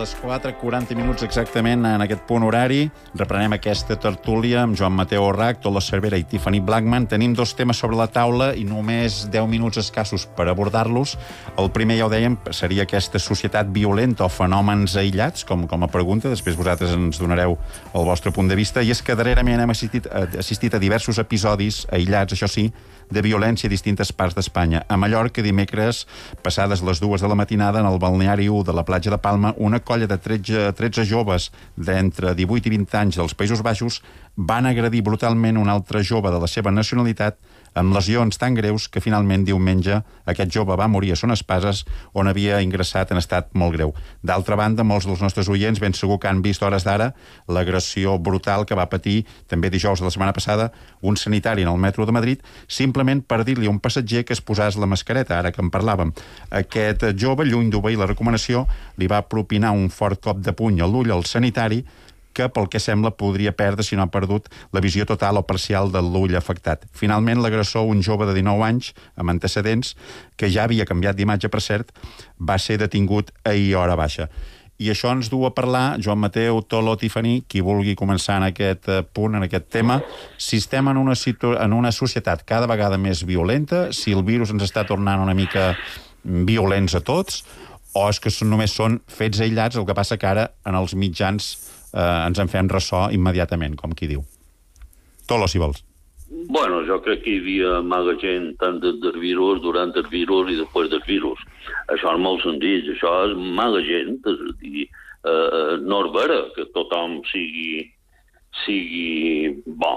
Speaker 8: Les 4:40 exactament en aquest punt horari. Reprenem aquesta tertúlia amb Joan Mateu Enrac, Tolo Cervera i Tiffany Blackman. Tenim 2 temes sobre la taula i només 10 minuts escassos per abordar-los. El primer, ja ho dèiem, seria aquesta societat violenta o fenòmens aïllats, com a pregunta. Després vosaltres ens donareu el vostre punt de vista. I és que darrerament hem assistit a diversos episodis aïllats, això sí, de violència a distintes parts d'Espanya. A Mallorca, dimecres, passades les 2 de la matinada, en el balneari 1 de la platja de Palma, una colla de 13 joves d'entre 18 i 20 anys dels Països Baixos van agredir brutalment un altre jove de la seva nacionalitat amb lesions tan greus que finalment diumenge aquest jove va morir a Son Espases, on havia ingressat en estat molt greu. D'altra banda, molts dels nostres oients ben segur que han vist a hores d'ara l'agressió brutal que va patir també dijous de la setmana passada un sanitari en el metro de Madrid, simplement per dir-li a un passatger que es posés la mascareta, ara que en parlàvem. Aquest jove, lluny d'obeir la recomanació, li va propinar un fort cop de puny a l'ull al sanitari, que, pel que sembla, podria perdre, si no ha perdut, la visió total o parcial de l'ull afectat. Finalment, l'agressor, un jove de 19 anys, amb antecedents, que ja havia canviat d'imatge, per cert, va ser detingut ahir a hora baixa. I això ens du a parlar, Joan Mateu, Tolo, Tiffany, qui vulgui començar en aquest punt, en aquest tema, si estem en una societat cada vegada més violenta, si el virus ens està tornant una mica violents a tots, o és que només són fets aïllats, el que passa que ara en els mitjans ens en fem ressò immediatament, com qui diu. Tolo, si vols.
Speaker 11: Bueno, jo crec que hi havia mala gent tant del virus, durant el virus i després del virus. Això és molt senzill, això és mala gent, és a dir, no és vera que tothom sigui bo.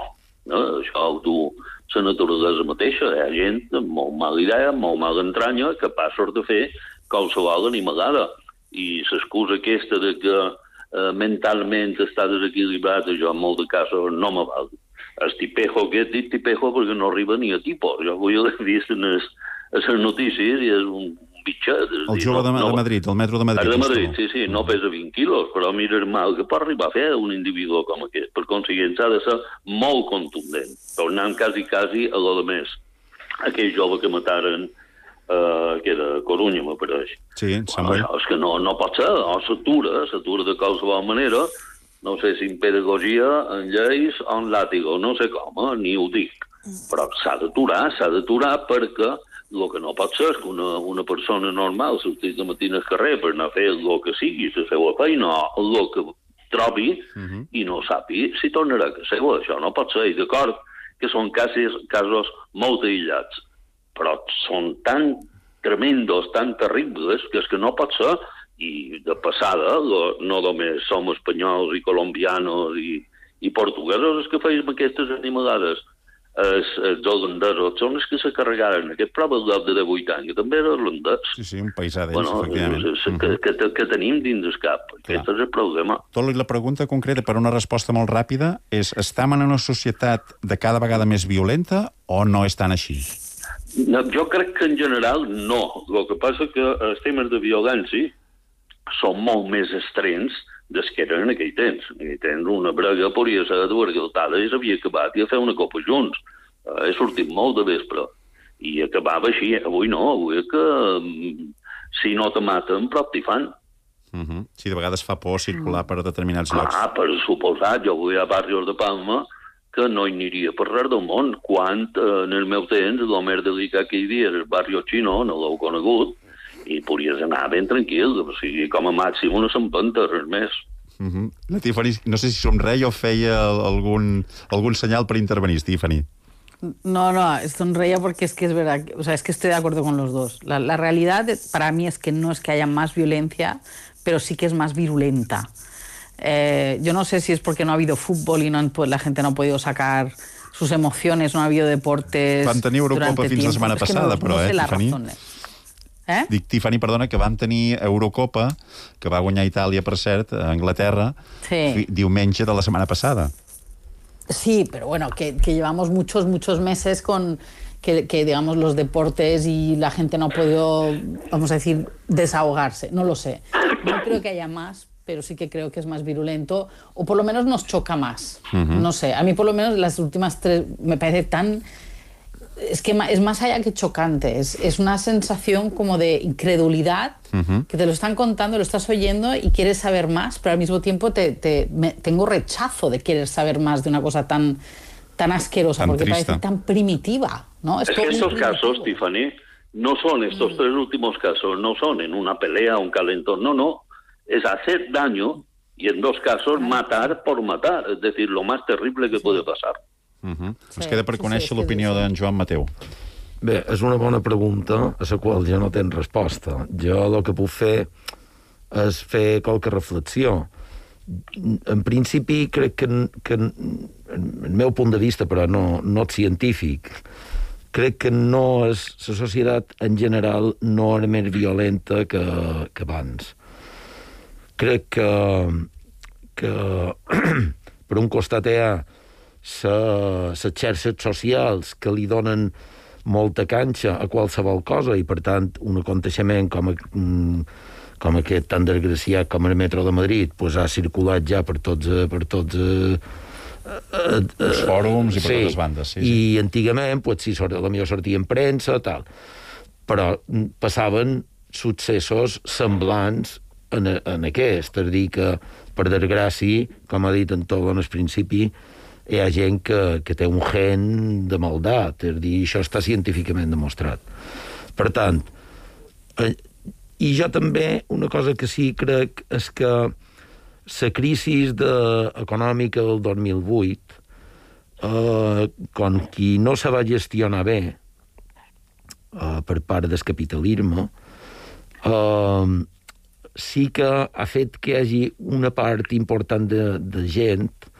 Speaker 11: No? Això ho du la naturalesa mateixa. Hi ha gent amb molt mala idea, molt mala entranya, capaços de fer qualsevol animalada. I l'excusa aquesta de que mentalment està desequilibrat, jo en molts casos no me val. El tipejo, que he dit tipejo perquè no arriba ni a tipus. Jo avui l'he vist a les notícies i és un bitxet.
Speaker 8: El jove de Madrid, el metro de Madrid.
Speaker 11: El de Madrid, sí, no pesa 20 quilos, però mira el mal que pot arribar a fer un individu com aquest. Per consiguient, ha de ser molt contundent. Tornant quasi a lo de més. Aquell jove que mataren que era Corunya, m'apareix.
Speaker 8: Sí, em sembla.
Speaker 11: És que no pot ser, o s'atura de qualsevol manera, no sé si en pedagogia, en lleis o en làtigo, no sé com, ni ho dic. Però s'ha d'aturar perquè el que no pot ser és que una persona normal sortís de matí al carrer per anar a fer el que sigui, la seva feina, el que trobi, i no sàpiga si tornarà a casa seva. Això no pot ser, i d'acord que són casos molt aïllats, però són tan tremendos, tan terribles, que és que no pot ser. I de passada, no només som espanyols i colombianos i portuguesos els que feim aquestes animalades. Els holandesos són els que se carregaren aquest prova de 18 anys, que també era holandès.
Speaker 8: Sí, un paisà d'ells, efectivament.
Speaker 11: Que tenim dins el cap. Aquest és el problema.
Speaker 8: Tolo, la pregunta concreta, per una resposta molt ràpida, és: estem en una societat de cada vegada més violenta o no és tan així?
Speaker 11: No, jo crec que en general no. El que passa que els temes de violència són molt més extrems des que eren en aquell temps. En aquell temps una brega podria ser dues galtades i s'havia acabat i a fer una copa junts. He sortit molt de vespre. I acabava així. Avui no, avui és que si no te maten, prop t'hi fan.
Speaker 8: Sí, de vegades fa por circular per determinats llocs.
Speaker 11: Per suposat, jo vull a barrios de Palma que no hi aniria per res del món, quan en el meu temps el més delicat que hi havia era el barri xino, no l'heu conegut, i podries anar ben tranquil, o sigui, com a màxim una s'empenta, res més.
Speaker 8: La Tiffany, no sé si somreia o feia algún senyal per intervenir, Tiffany.
Speaker 9: No, sonreía porque es que es verdad, o sea, es que estoy de acuerdo con los dos. La realidad para mí es que no es que haya más violencia, pero sí que es más virulenta. Yo no sé si es porque no ha habido fútbol y la gente no ha podido sacar sus emociones, no ha habido deportes.
Speaker 8: Van tenir Eurocopa fins la setmana passada, però, Tiffany? Dic, Tiffany, perdona, que vam tenir Eurocopa, que va guanyar Itàlia, per cert, a Anglaterra, diumenge de la setmana passada.
Speaker 9: Sí, pero bueno, que llevamos muchos meses con que digamos, los deportes y la gente no ha podido, vamos a decir, desahogarse. No lo sé. No creo que haya más, pero sí que creo que es más virulento, o por lo menos nos choca más. No sé, a mí por lo menos las últimas 3 me parece tan... Es que es más allá que chocante, es una sensación como de incredulidad, que te lo están contando, lo estás oyendo y quieres saber más, pero al mismo tiempo tengo rechazo de querer saber más de una cosa tan asquerosa, tan porque triste. Parece tan primitiva, ¿no?
Speaker 11: Es que estos casos, Tiffany, no son estos 3 últimos casos, no son en una pelea, un calentón, no, es hacer daño y en 2 casos matar por matar, es decir, lo más terrible que puede pasar.
Speaker 8: Ens queda per conèixer l'opinió d'en Joan Mateu.
Speaker 10: Bé, és una bona pregunta a la qual jo no tenc resposta. Jo el que puc fer és fer qualque reflexió. En principi, crec que el meu punt de vista, però no científic, crec que no és, la societat en general no era més violenta que abans. Crec que per un costat hi ha les xarxes socials que li donen molta canxa a qualsevol cosa i, per tant, un aconteixement com aquest tan desgraciat com el metro de Madrid ha circulat ja per tots
Speaker 8: els fòrums i per totes bandes.
Speaker 10: I antigament, potser sortia en premsa, tal. Però passaven successos semblants en aquest. És a dir, que, per desgràcia, com ha dit en Tolón al principi, hi ha gent que té un gen de maldat, és a dir, això està científicament demostrat. Per tant, i jo també, una cosa que sí crec és que la crisi econòmica del 2008, com qui no se va gestionar bé per part del capitalisme, sí que ha fet que hi hagi una part important de gent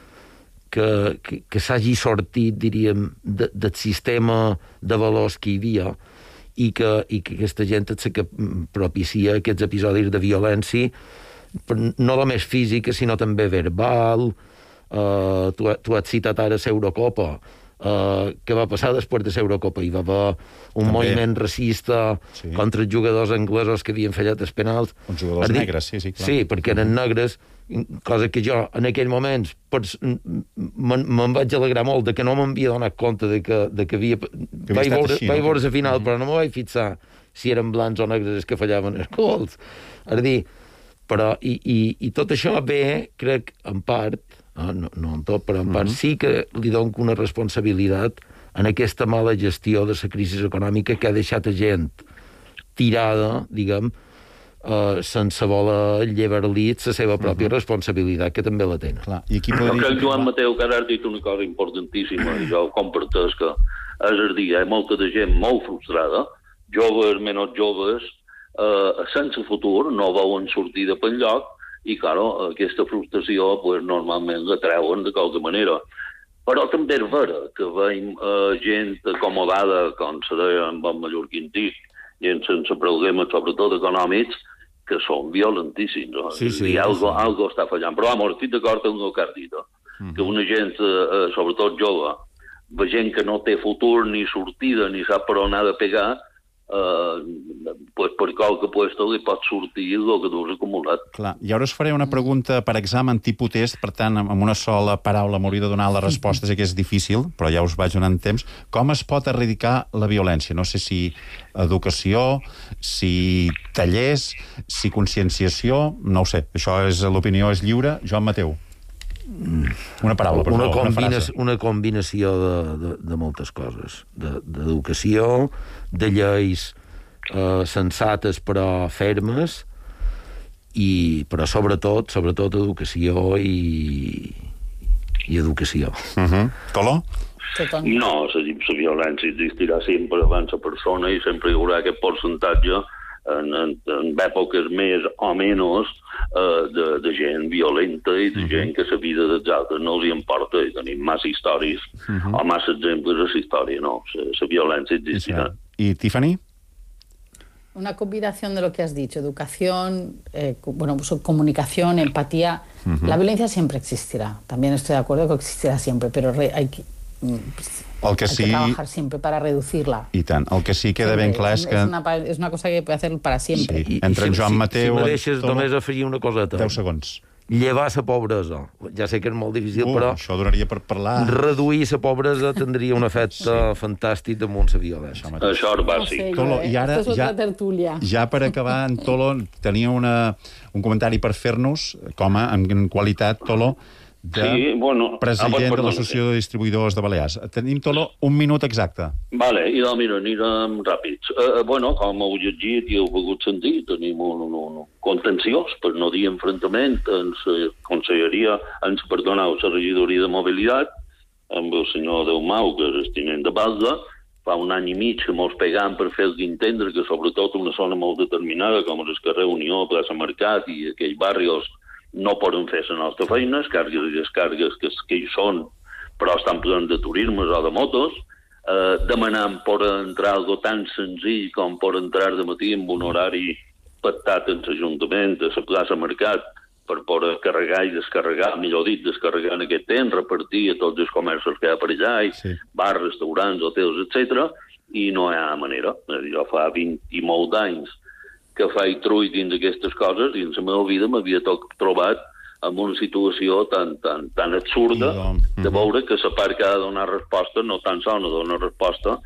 Speaker 10: que s'hagi sortit, diríem, del sistema de valors que hi havia i que aquesta gent és que propicia aquests episodis de violència, no només física, sinó també verbal. Tu has citat ara l'Eurocopa. Què va passar després de l'Eurocopa? Hi va haver un moviment racista contra els jugadors anglesos que havien fallat els penals.
Speaker 8: Uns jugadors negres, sí, clar.
Speaker 10: Sí, perquè eren negres, cosa que jo en aquell moment me'n vaig alegrar molt de que no m'havia donat compte de que havia... Vaig veure la final, però no me vaig fixar si eren blancs o negres els que fallaven els gols. És a dir, però i tot això ve, crec, en part, no en tot, però en part sí que li dono una responsabilitat en aquesta mala gestió de la crisi econòmica que ha deixat a gent tirada, diguem, sense voler llevar-li la seva pròpia responsabilitat, que també la tenen.
Speaker 8: I aquí podria...
Speaker 11: Crec, Joan Mateu, que ara has dit una cosa importantíssima, i jo comparteix que és a dir, hi ha molta de gent molt frustrada, joves, menys joves, sense futur, no veuen sortida per enlloc, i, claro, aquesta frustració normalment la treuen de qualque manera. Però també és vera que veiem gent acomodada, com se deia en bon mallorquintí, gent sense problemes, sobretot econòmics, que són violentíssims. I algo està fallant. Però, estic d'acord amb el que has dit, que una gent, sobretot jove, gent que no té futur ni sortida ni sap per on ha de pegar, per qualque puesto li pot sortir el que tu has acumulat.
Speaker 8: Clar, i ara us faré una pregunta per examen tipus test, per tant, amb una sola paraula m'hauria de donar la resposta, sé que és difícil, però ja us vaig donant temps. Com es pot erradicar la violència? No sé si educació, si tallers, si conscienciació, no ho sé. Això és l'opinió, és lliure. Joan Mateu. Una paraula, per favor, una frase.
Speaker 10: Una combinació de moltes coses. D'educació, de lleis sensates però fermes, però sobretot educació i educació.
Speaker 8: Color?
Speaker 11: No, la violència existirà sempre abans la persona i sempre hi haurà aquest percentatge en èpoques més o menys de gent violenta i de gent que la vida dels altres no els hi importa, i tenim massa històries o massa exemples de la història, no, la violència existirà.
Speaker 8: I Tiffany?
Speaker 9: Una combinación de lo que has dicho, educación, comunicación, empatía. La violencia siempre existirá. También estoy de acuerdo que existirá siempre, pero hay que trabajar siempre para reducirla.
Speaker 8: I tant. El que sí queda ben clar és que...
Speaker 9: És una cosa que puede hacer para siempre.
Speaker 8: Sí. Entre en Joan Mateu...
Speaker 10: Si me deixes només afegir una coseta.
Speaker 8: 10 segons.
Speaker 10: Llevar la pobresa. Ja sé que és molt difícil, però...
Speaker 8: Això donaria per parlar...
Speaker 10: Reduir la pobresa tindria un efecte fantàstic damunt la violència.
Speaker 11: Això és bàsic.
Speaker 8: Tolo, i ara, ja per acabar, en Tolo tenia un comentari per fer-nos, com en qualitat, Tolo, president de l'Associació de Distribuïdors de Balears. Tenim, Tolo, un minut exacte.
Speaker 11: Vale, i mira, anirem ràpids. Com heu llegit i heu pogut sentir, tenim un contenciós, per no dir enfrontament, en la regidoria de mobilitat, amb el senyor Deumau, que és el tinent de Balda. Fa un any i mig que mos pegam per fer-los entendre que, sobretot una zona molt determinada, com el carrer Unió, plaça Mercat i aquells barris, no poden fer la nostra feina, les càrregues i descàrregues que hi són, però estan plens de turismes o de motos, demanant per entrar algo tan senzill com per entrar de matí amb un horari pactat en l'Ajuntament, a la plaça Mercat, per poder carregar i descarregar, millor dit, descarregar en aquest temps, repartir a tots els comerços que hi ha per allà, bars, restaurants, hotels, etc. I no hi ha manera. Jo fa 20 i molt d'anys que faig trull dins d'aquestes coses i en la meva vida m'havia trobat en una situació tan absurda de veure que la part que ha de donar resposta no tan sols no dona resposta,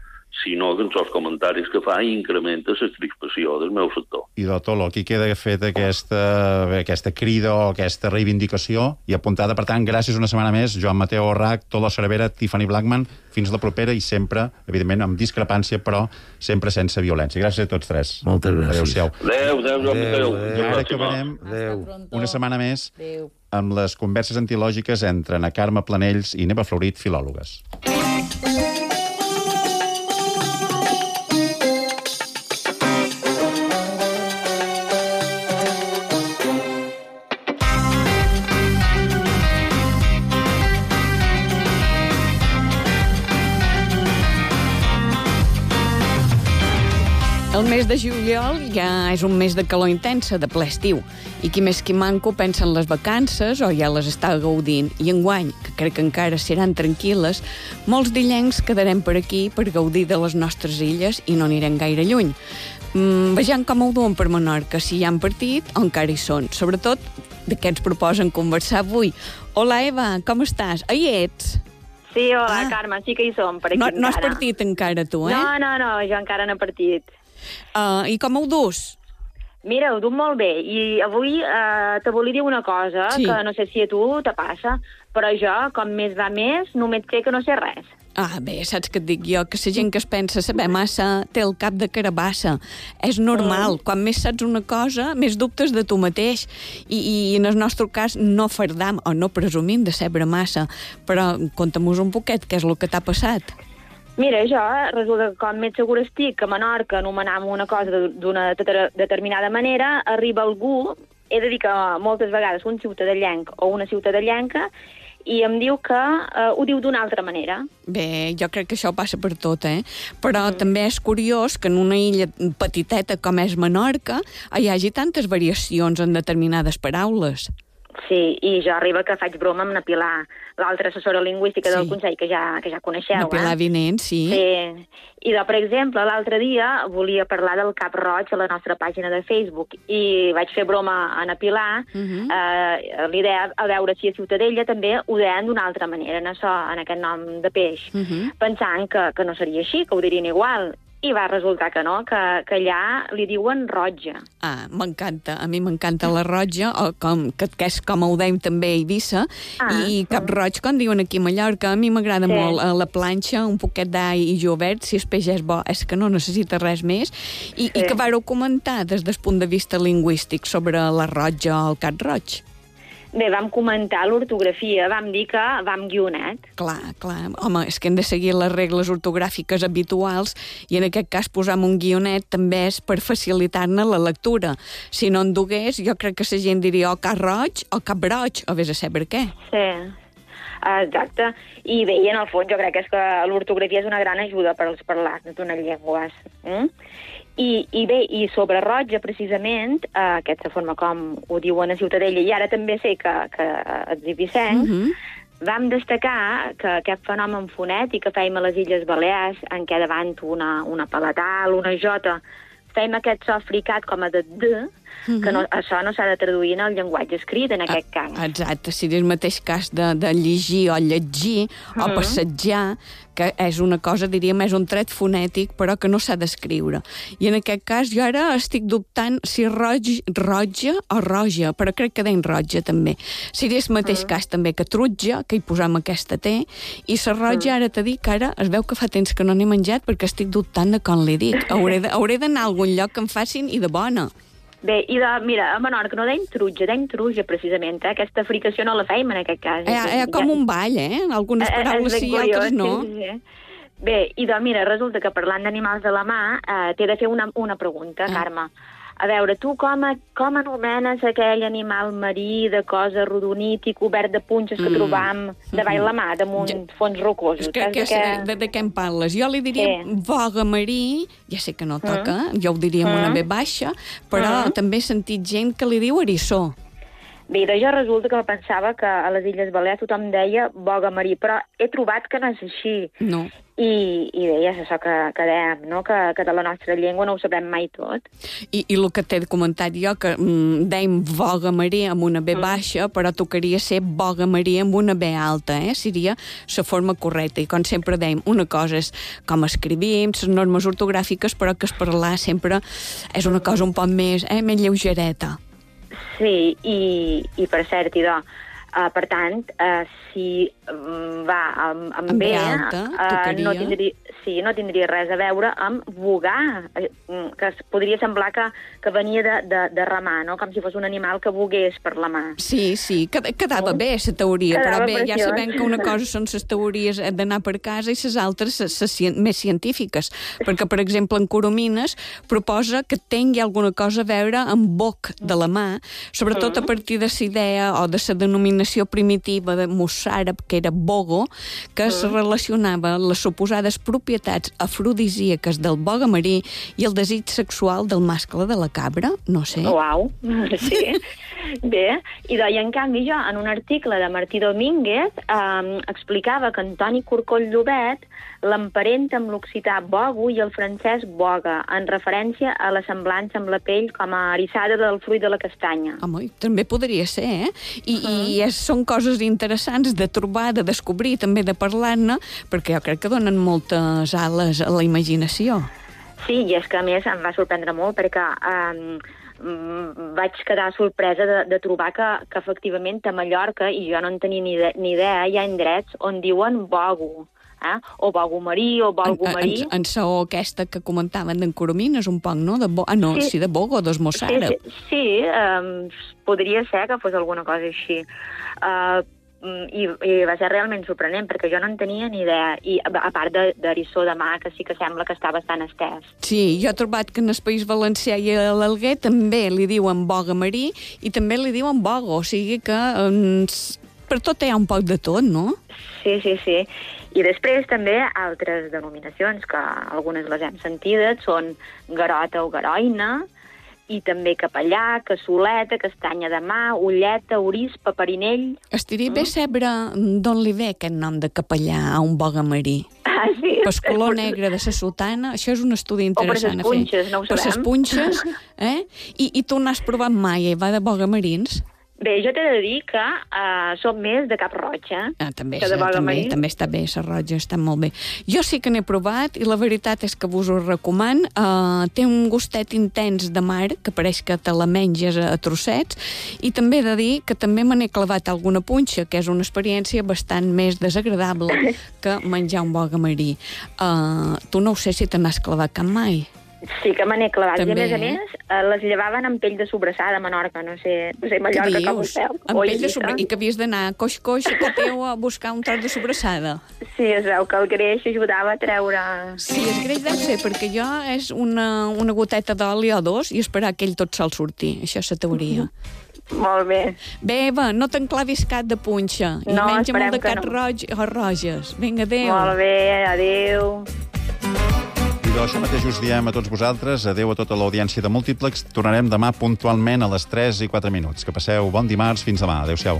Speaker 11: sinó que en els comentaris que fa incrementa la crispació del meu sector.
Speaker 8: I, Tolo, aquí queda feta aquesta crida o aquesta reivindicació i apuntada. Per tant, gràcies una setmana més, Joan Mateu Orrach, Tolo Cervera, Tiffany Blackman. Fins la propera i sempre, evidentment, amb discrepància, però sempre sense violència. Gràcies a tots tres.
Speaker 10: Moltes gràcies.
Speaker 8: Adéu-siau.
Speaker 11: Adéu.
Speaker 8: I ara acabarem una setmana més amb les converses antilògiques entre Ana Carme Planells i Neva Florit, filòlogues.
Speaker 16: El mes de juliol ja és un mes de calor intensa, de ple estiu. I qui més qui manco pensa en les vacances o ja les està gaudint. I enguany, que crec que encara seran tranquil·les, molts d'illencs quedarem per aquí per gaudir de les nostres illes i no anirem gaire lluny. Vejam com ho duen per Menorca, si hi han partit o encara hi són. Sobretot de què ens proposen conversar avui. Hola, Eva, com estàs? Hi ets?
Speaker 17: Sí, hola, Carme, sí que hi som per aquí encara.
Speaker 16: No has partit encara, tu, eh?
Speaker 17: No, jo encara no he partit.
Speaker 16: I com ho dus?
Speaker 17: Mira, ho duc molt bé. I avui te volia dir una cosa, que no sé si a tu te passa, però jo, com més va més, només sé que no sé res.
Speaker 16: Bé, saps què et dic jo? Que la gent que es pensa saber massa té el cap de carabassa. És normal. Quan més saps una cosa, més dubtes de tu mateix. I en el nostre cas no fardam o no presumim de saber massa. Però conta'm-nos un poquet què és el que t'ha passat.
Speaker 17: Mira, jo resulta que com més segur estic que a Menorca anomenam una cosa d'una determinada manera, arriba algú, he de dir que moltes vegades un ciutadellenc o una ciutadellenca, i em diu que ho diu d'una altra manera.
Speaker 16: Bé, jo crec que això passa per tot, Però també és curiós que en una illa petiteta com és Menorca hi hagi tantes variacions en determinades paraules.
Speaker 17: Sí, i jo arriba que faig broma amb na Pilar, l'altra assessora lingüística del Consell, que ja coneixeu.
Speaker 16: Na Pilar Vinent, sí.
Speaker 17: Sí. I, per exemple, l'altre dia volia parlar del Cap Roig a la nostra pàgina de Facebook i vaig fer broma a na Pilar, l'idea a veure si a Ciutadella també ho deien d'una altra manera, en aquest nom de peix, pensant que no seria així, que ho dirien igual. I va resultar que no, que allà li diuen Rotja.
Speaker 16: Ah, m'encanta. A mi m'encanta la Rotja, que és com ho deim també a Eivissa, i Cap Roig, com diuen aquí a Mallorca. A mi m'agrada molt la planxa, un poquet d'all i jovert, si el peix és bo, és que no necessita res més. I que vareu comentar des del punt de vista lingüístic sobre la Rotja o el Cap Roig?
Speaker 17: Bé, vam comentar l'ortografia, vam dir que vam guionet.
Speaker 16: Clar. Home, és que hem de seguir les regles ortogràfiques habituals i en aquest cas posar un guionet també és per facilitar-ne la lectura. Si no en dugués, jo crec que la gent diria o Cap Roig o Cap Roig, o vés a saber què.
Speaker 17: Sí, exacte. I bé, i en el fons jo crec que l'ortografia és una gran ajuda per als parlants d'unes llengües. I bé, i sobre Rotja, precisament, aquesta forma com ho diuen a Ciutadella, i ara també sé que a Eivissa, vam destacar que aquest fenomen fonètic que fèiem a les Illes Balears, en què davant una palatal, una jota, fèiem aquest so fricat com a de que això no s'ha de traduir en el llenguatge escrit, en aquest cas.
Speaker 16: Exacte, si és el mateix cas de llegir o llegir o passejar, que és una cosa, diríem, és un tret fonètic, però que no s'ha d'escriure. I en aquest cas jo ara estic dubtant si Rotja o Roja, però crec que deim Rotja també. Seria el mateix cas també que Trutja, que hi posam aquesta T, i la Rotja ara t'he dit que ara es veu que fa temps que no n'he menjat perquè estic dubtant de com li dic. Hauré d'anar a algun lloc que em facin i de bona.
Speaker 17: Bé, mira, a Menorca no deim Truja, precisament, aquesta fricació no la feim en aquest cas.
Speaker 16: Com un ball, algunes paraules sí i altres no.
Speaker 17: Bé, mira, resulta que parlant d'animals de la mà, t'he de fer una pregunta, Carme. A veure, tu com anomenes aquell animal marí de cosa rodonític, obert de punxes que trobam davall la mà, damunt fons rocosos?
Speaker 16: De què em parles? Jo li diria boga marí, ja sé que no toca, jo ho diria amb una B baixa, però també he sentit gent que li diu eriçó.
Speaker 17: Bé, jo resulta que pensava que a les Illes Balears tothom deia boga marí, però he trobat que no és així.
Speaker 16: No.
Speaker 17: I bé, ja és això que dèiem, no? Que de la nostra llengua no ho sabrem mai tot.
Speaker 16: I el que t'he comentat jo, que dèiem boga marí amb una B baixa, però tocaria ser boga marí amb una B alta, seria la forma correcta. I com sempre dèiem, una cosa és com escrivim, les normes ortogràfiques, però que es parlar sempre és una cosa un poc més lleugereta.
Speaker 17: Sí, i per cert, per tant, si va amb B alta, no tindria res a veure amb vogar, que podria semblar que venia de remar, no? Com si fos un animal que vogués per la mà.
Speaker 16: Sí, quedava bé la teoria, però bé, ja sabem que una cosa són les teories d'anar per casa i les altres més científiques, perquè, per exemple, en Coromines proposa que tingui alguna cosa a veure amb boc de la mà, sobretot a partir de la idea o de la denominació primitiva de mossàrab, que era bogo, que es relacionava les suposades propietats afrodisíaques del boga marí i el desig sexual del mascle de la cabra, no sé.
Speaker 17: Uau, sí. Bé, i en canvi jo, en un article de Martí Domínguez, explicava que Antoni Corcoll Llobet l'emparenta amb l'occità bogo i el francès boga, en referència a la semblança amb la pell com a eriçada del fruit de la castanya.
Speaker 16: Home, també podria ser, I són coses interessants de trobar, de descobrir, també de parlar-ne, perquè jo crec que donen moltes ales a la imaginació.
Speaker 17: Sí, i és que a més em va sorprendre molt perquè vaig quedar sorpresa de trobar que efectivament a Mallorca, i jo no en tenia ni idea, hi ha indrets on diuen bogo, o bogo marí, o bolgo marí.
Speaker 16: En saó aquesta que comentaven d'en Coromines un poc, no? De bogo, dos mossàrab.
Speaker 17: Sí, podria ser que fos alguna cosa així. I va ser realment sorprenent, perquè jo no en tenia ni idea, i a part d'eriçó de mà, que sí que sembla que està bastant estès.
Speaker 16: Sí, jo he trobat que en el País Valencià i a l'Alguer també li diuen boga marí i també li diuen bogo, o sigui que per tot hi ha un poc de tot, no?
Speaker 17: Sí. I després també altres denominacions, que algunes les hem sentides, són garota o garoina, i també capellà, cassoleta, castanya de mà, ulleta, orís, paperinell...
Speaker 16: Estaria bé saber d'on li ve aquest nom de capellà a un bogamarí.
Speaker 17: Ah, sí.
Speaker 16: Pas color negre de la sotana, això és un estudi interessant
Speaker 17: a fer. O per les punxes, no ho sabem.
Speaker 16: Per les punxes, I tu n'has provat mai, va de bogamarins?
Speaker 17: Bé, jo t'he de dir que som més de cap roig,
Speaker 16: també està bé, la roja està molt bé. Jo sí que n'he provat i la veritat és que vos ho recomano. Té un gustet intens de mar, que pareix que te la menges a trossets, i també he de dir que també me n'he clavat alguna punxa, que és una experiència bastant més desagradable que menjar un bogamarí. Tu no ho sé si te n'has clavat cap mai.
Speaker 17: Sí que me n'he clavat.
Speaker 16: També,
Speaker 17: I a més, les llevaven amb pell de sobrassada a Menorca, no sé Mallorca com ho feu.
Speaker 16: Amb pell de sobrassada? I que havies d'anar coix a casa teu a buscar un tros de sobrassada?
Speaker 17: Sí, es veu que el greix ajudava a treure...
Speaker 16: Sí, el greix deu ser, perquè jo és una goteta d'oli o dos i esperar que ell tot sol sortir. Això és la teoria.
Speaker 17: Molt bé.
Speaker 16: Bé, Eva, no t'enclavis cap de punxa. I menja molt de cap roig o roges. Vinga, adéu.
Speaker 17: Molt bé, adéu.
Speaker 8: I això mateix us diem a tots vosaltres. Adéu a tota l'audiència de Múltiplex. Tornarem demà puntualment a les 3:04. Que passeu bon dimarts. Fins demà. Adéu-siau.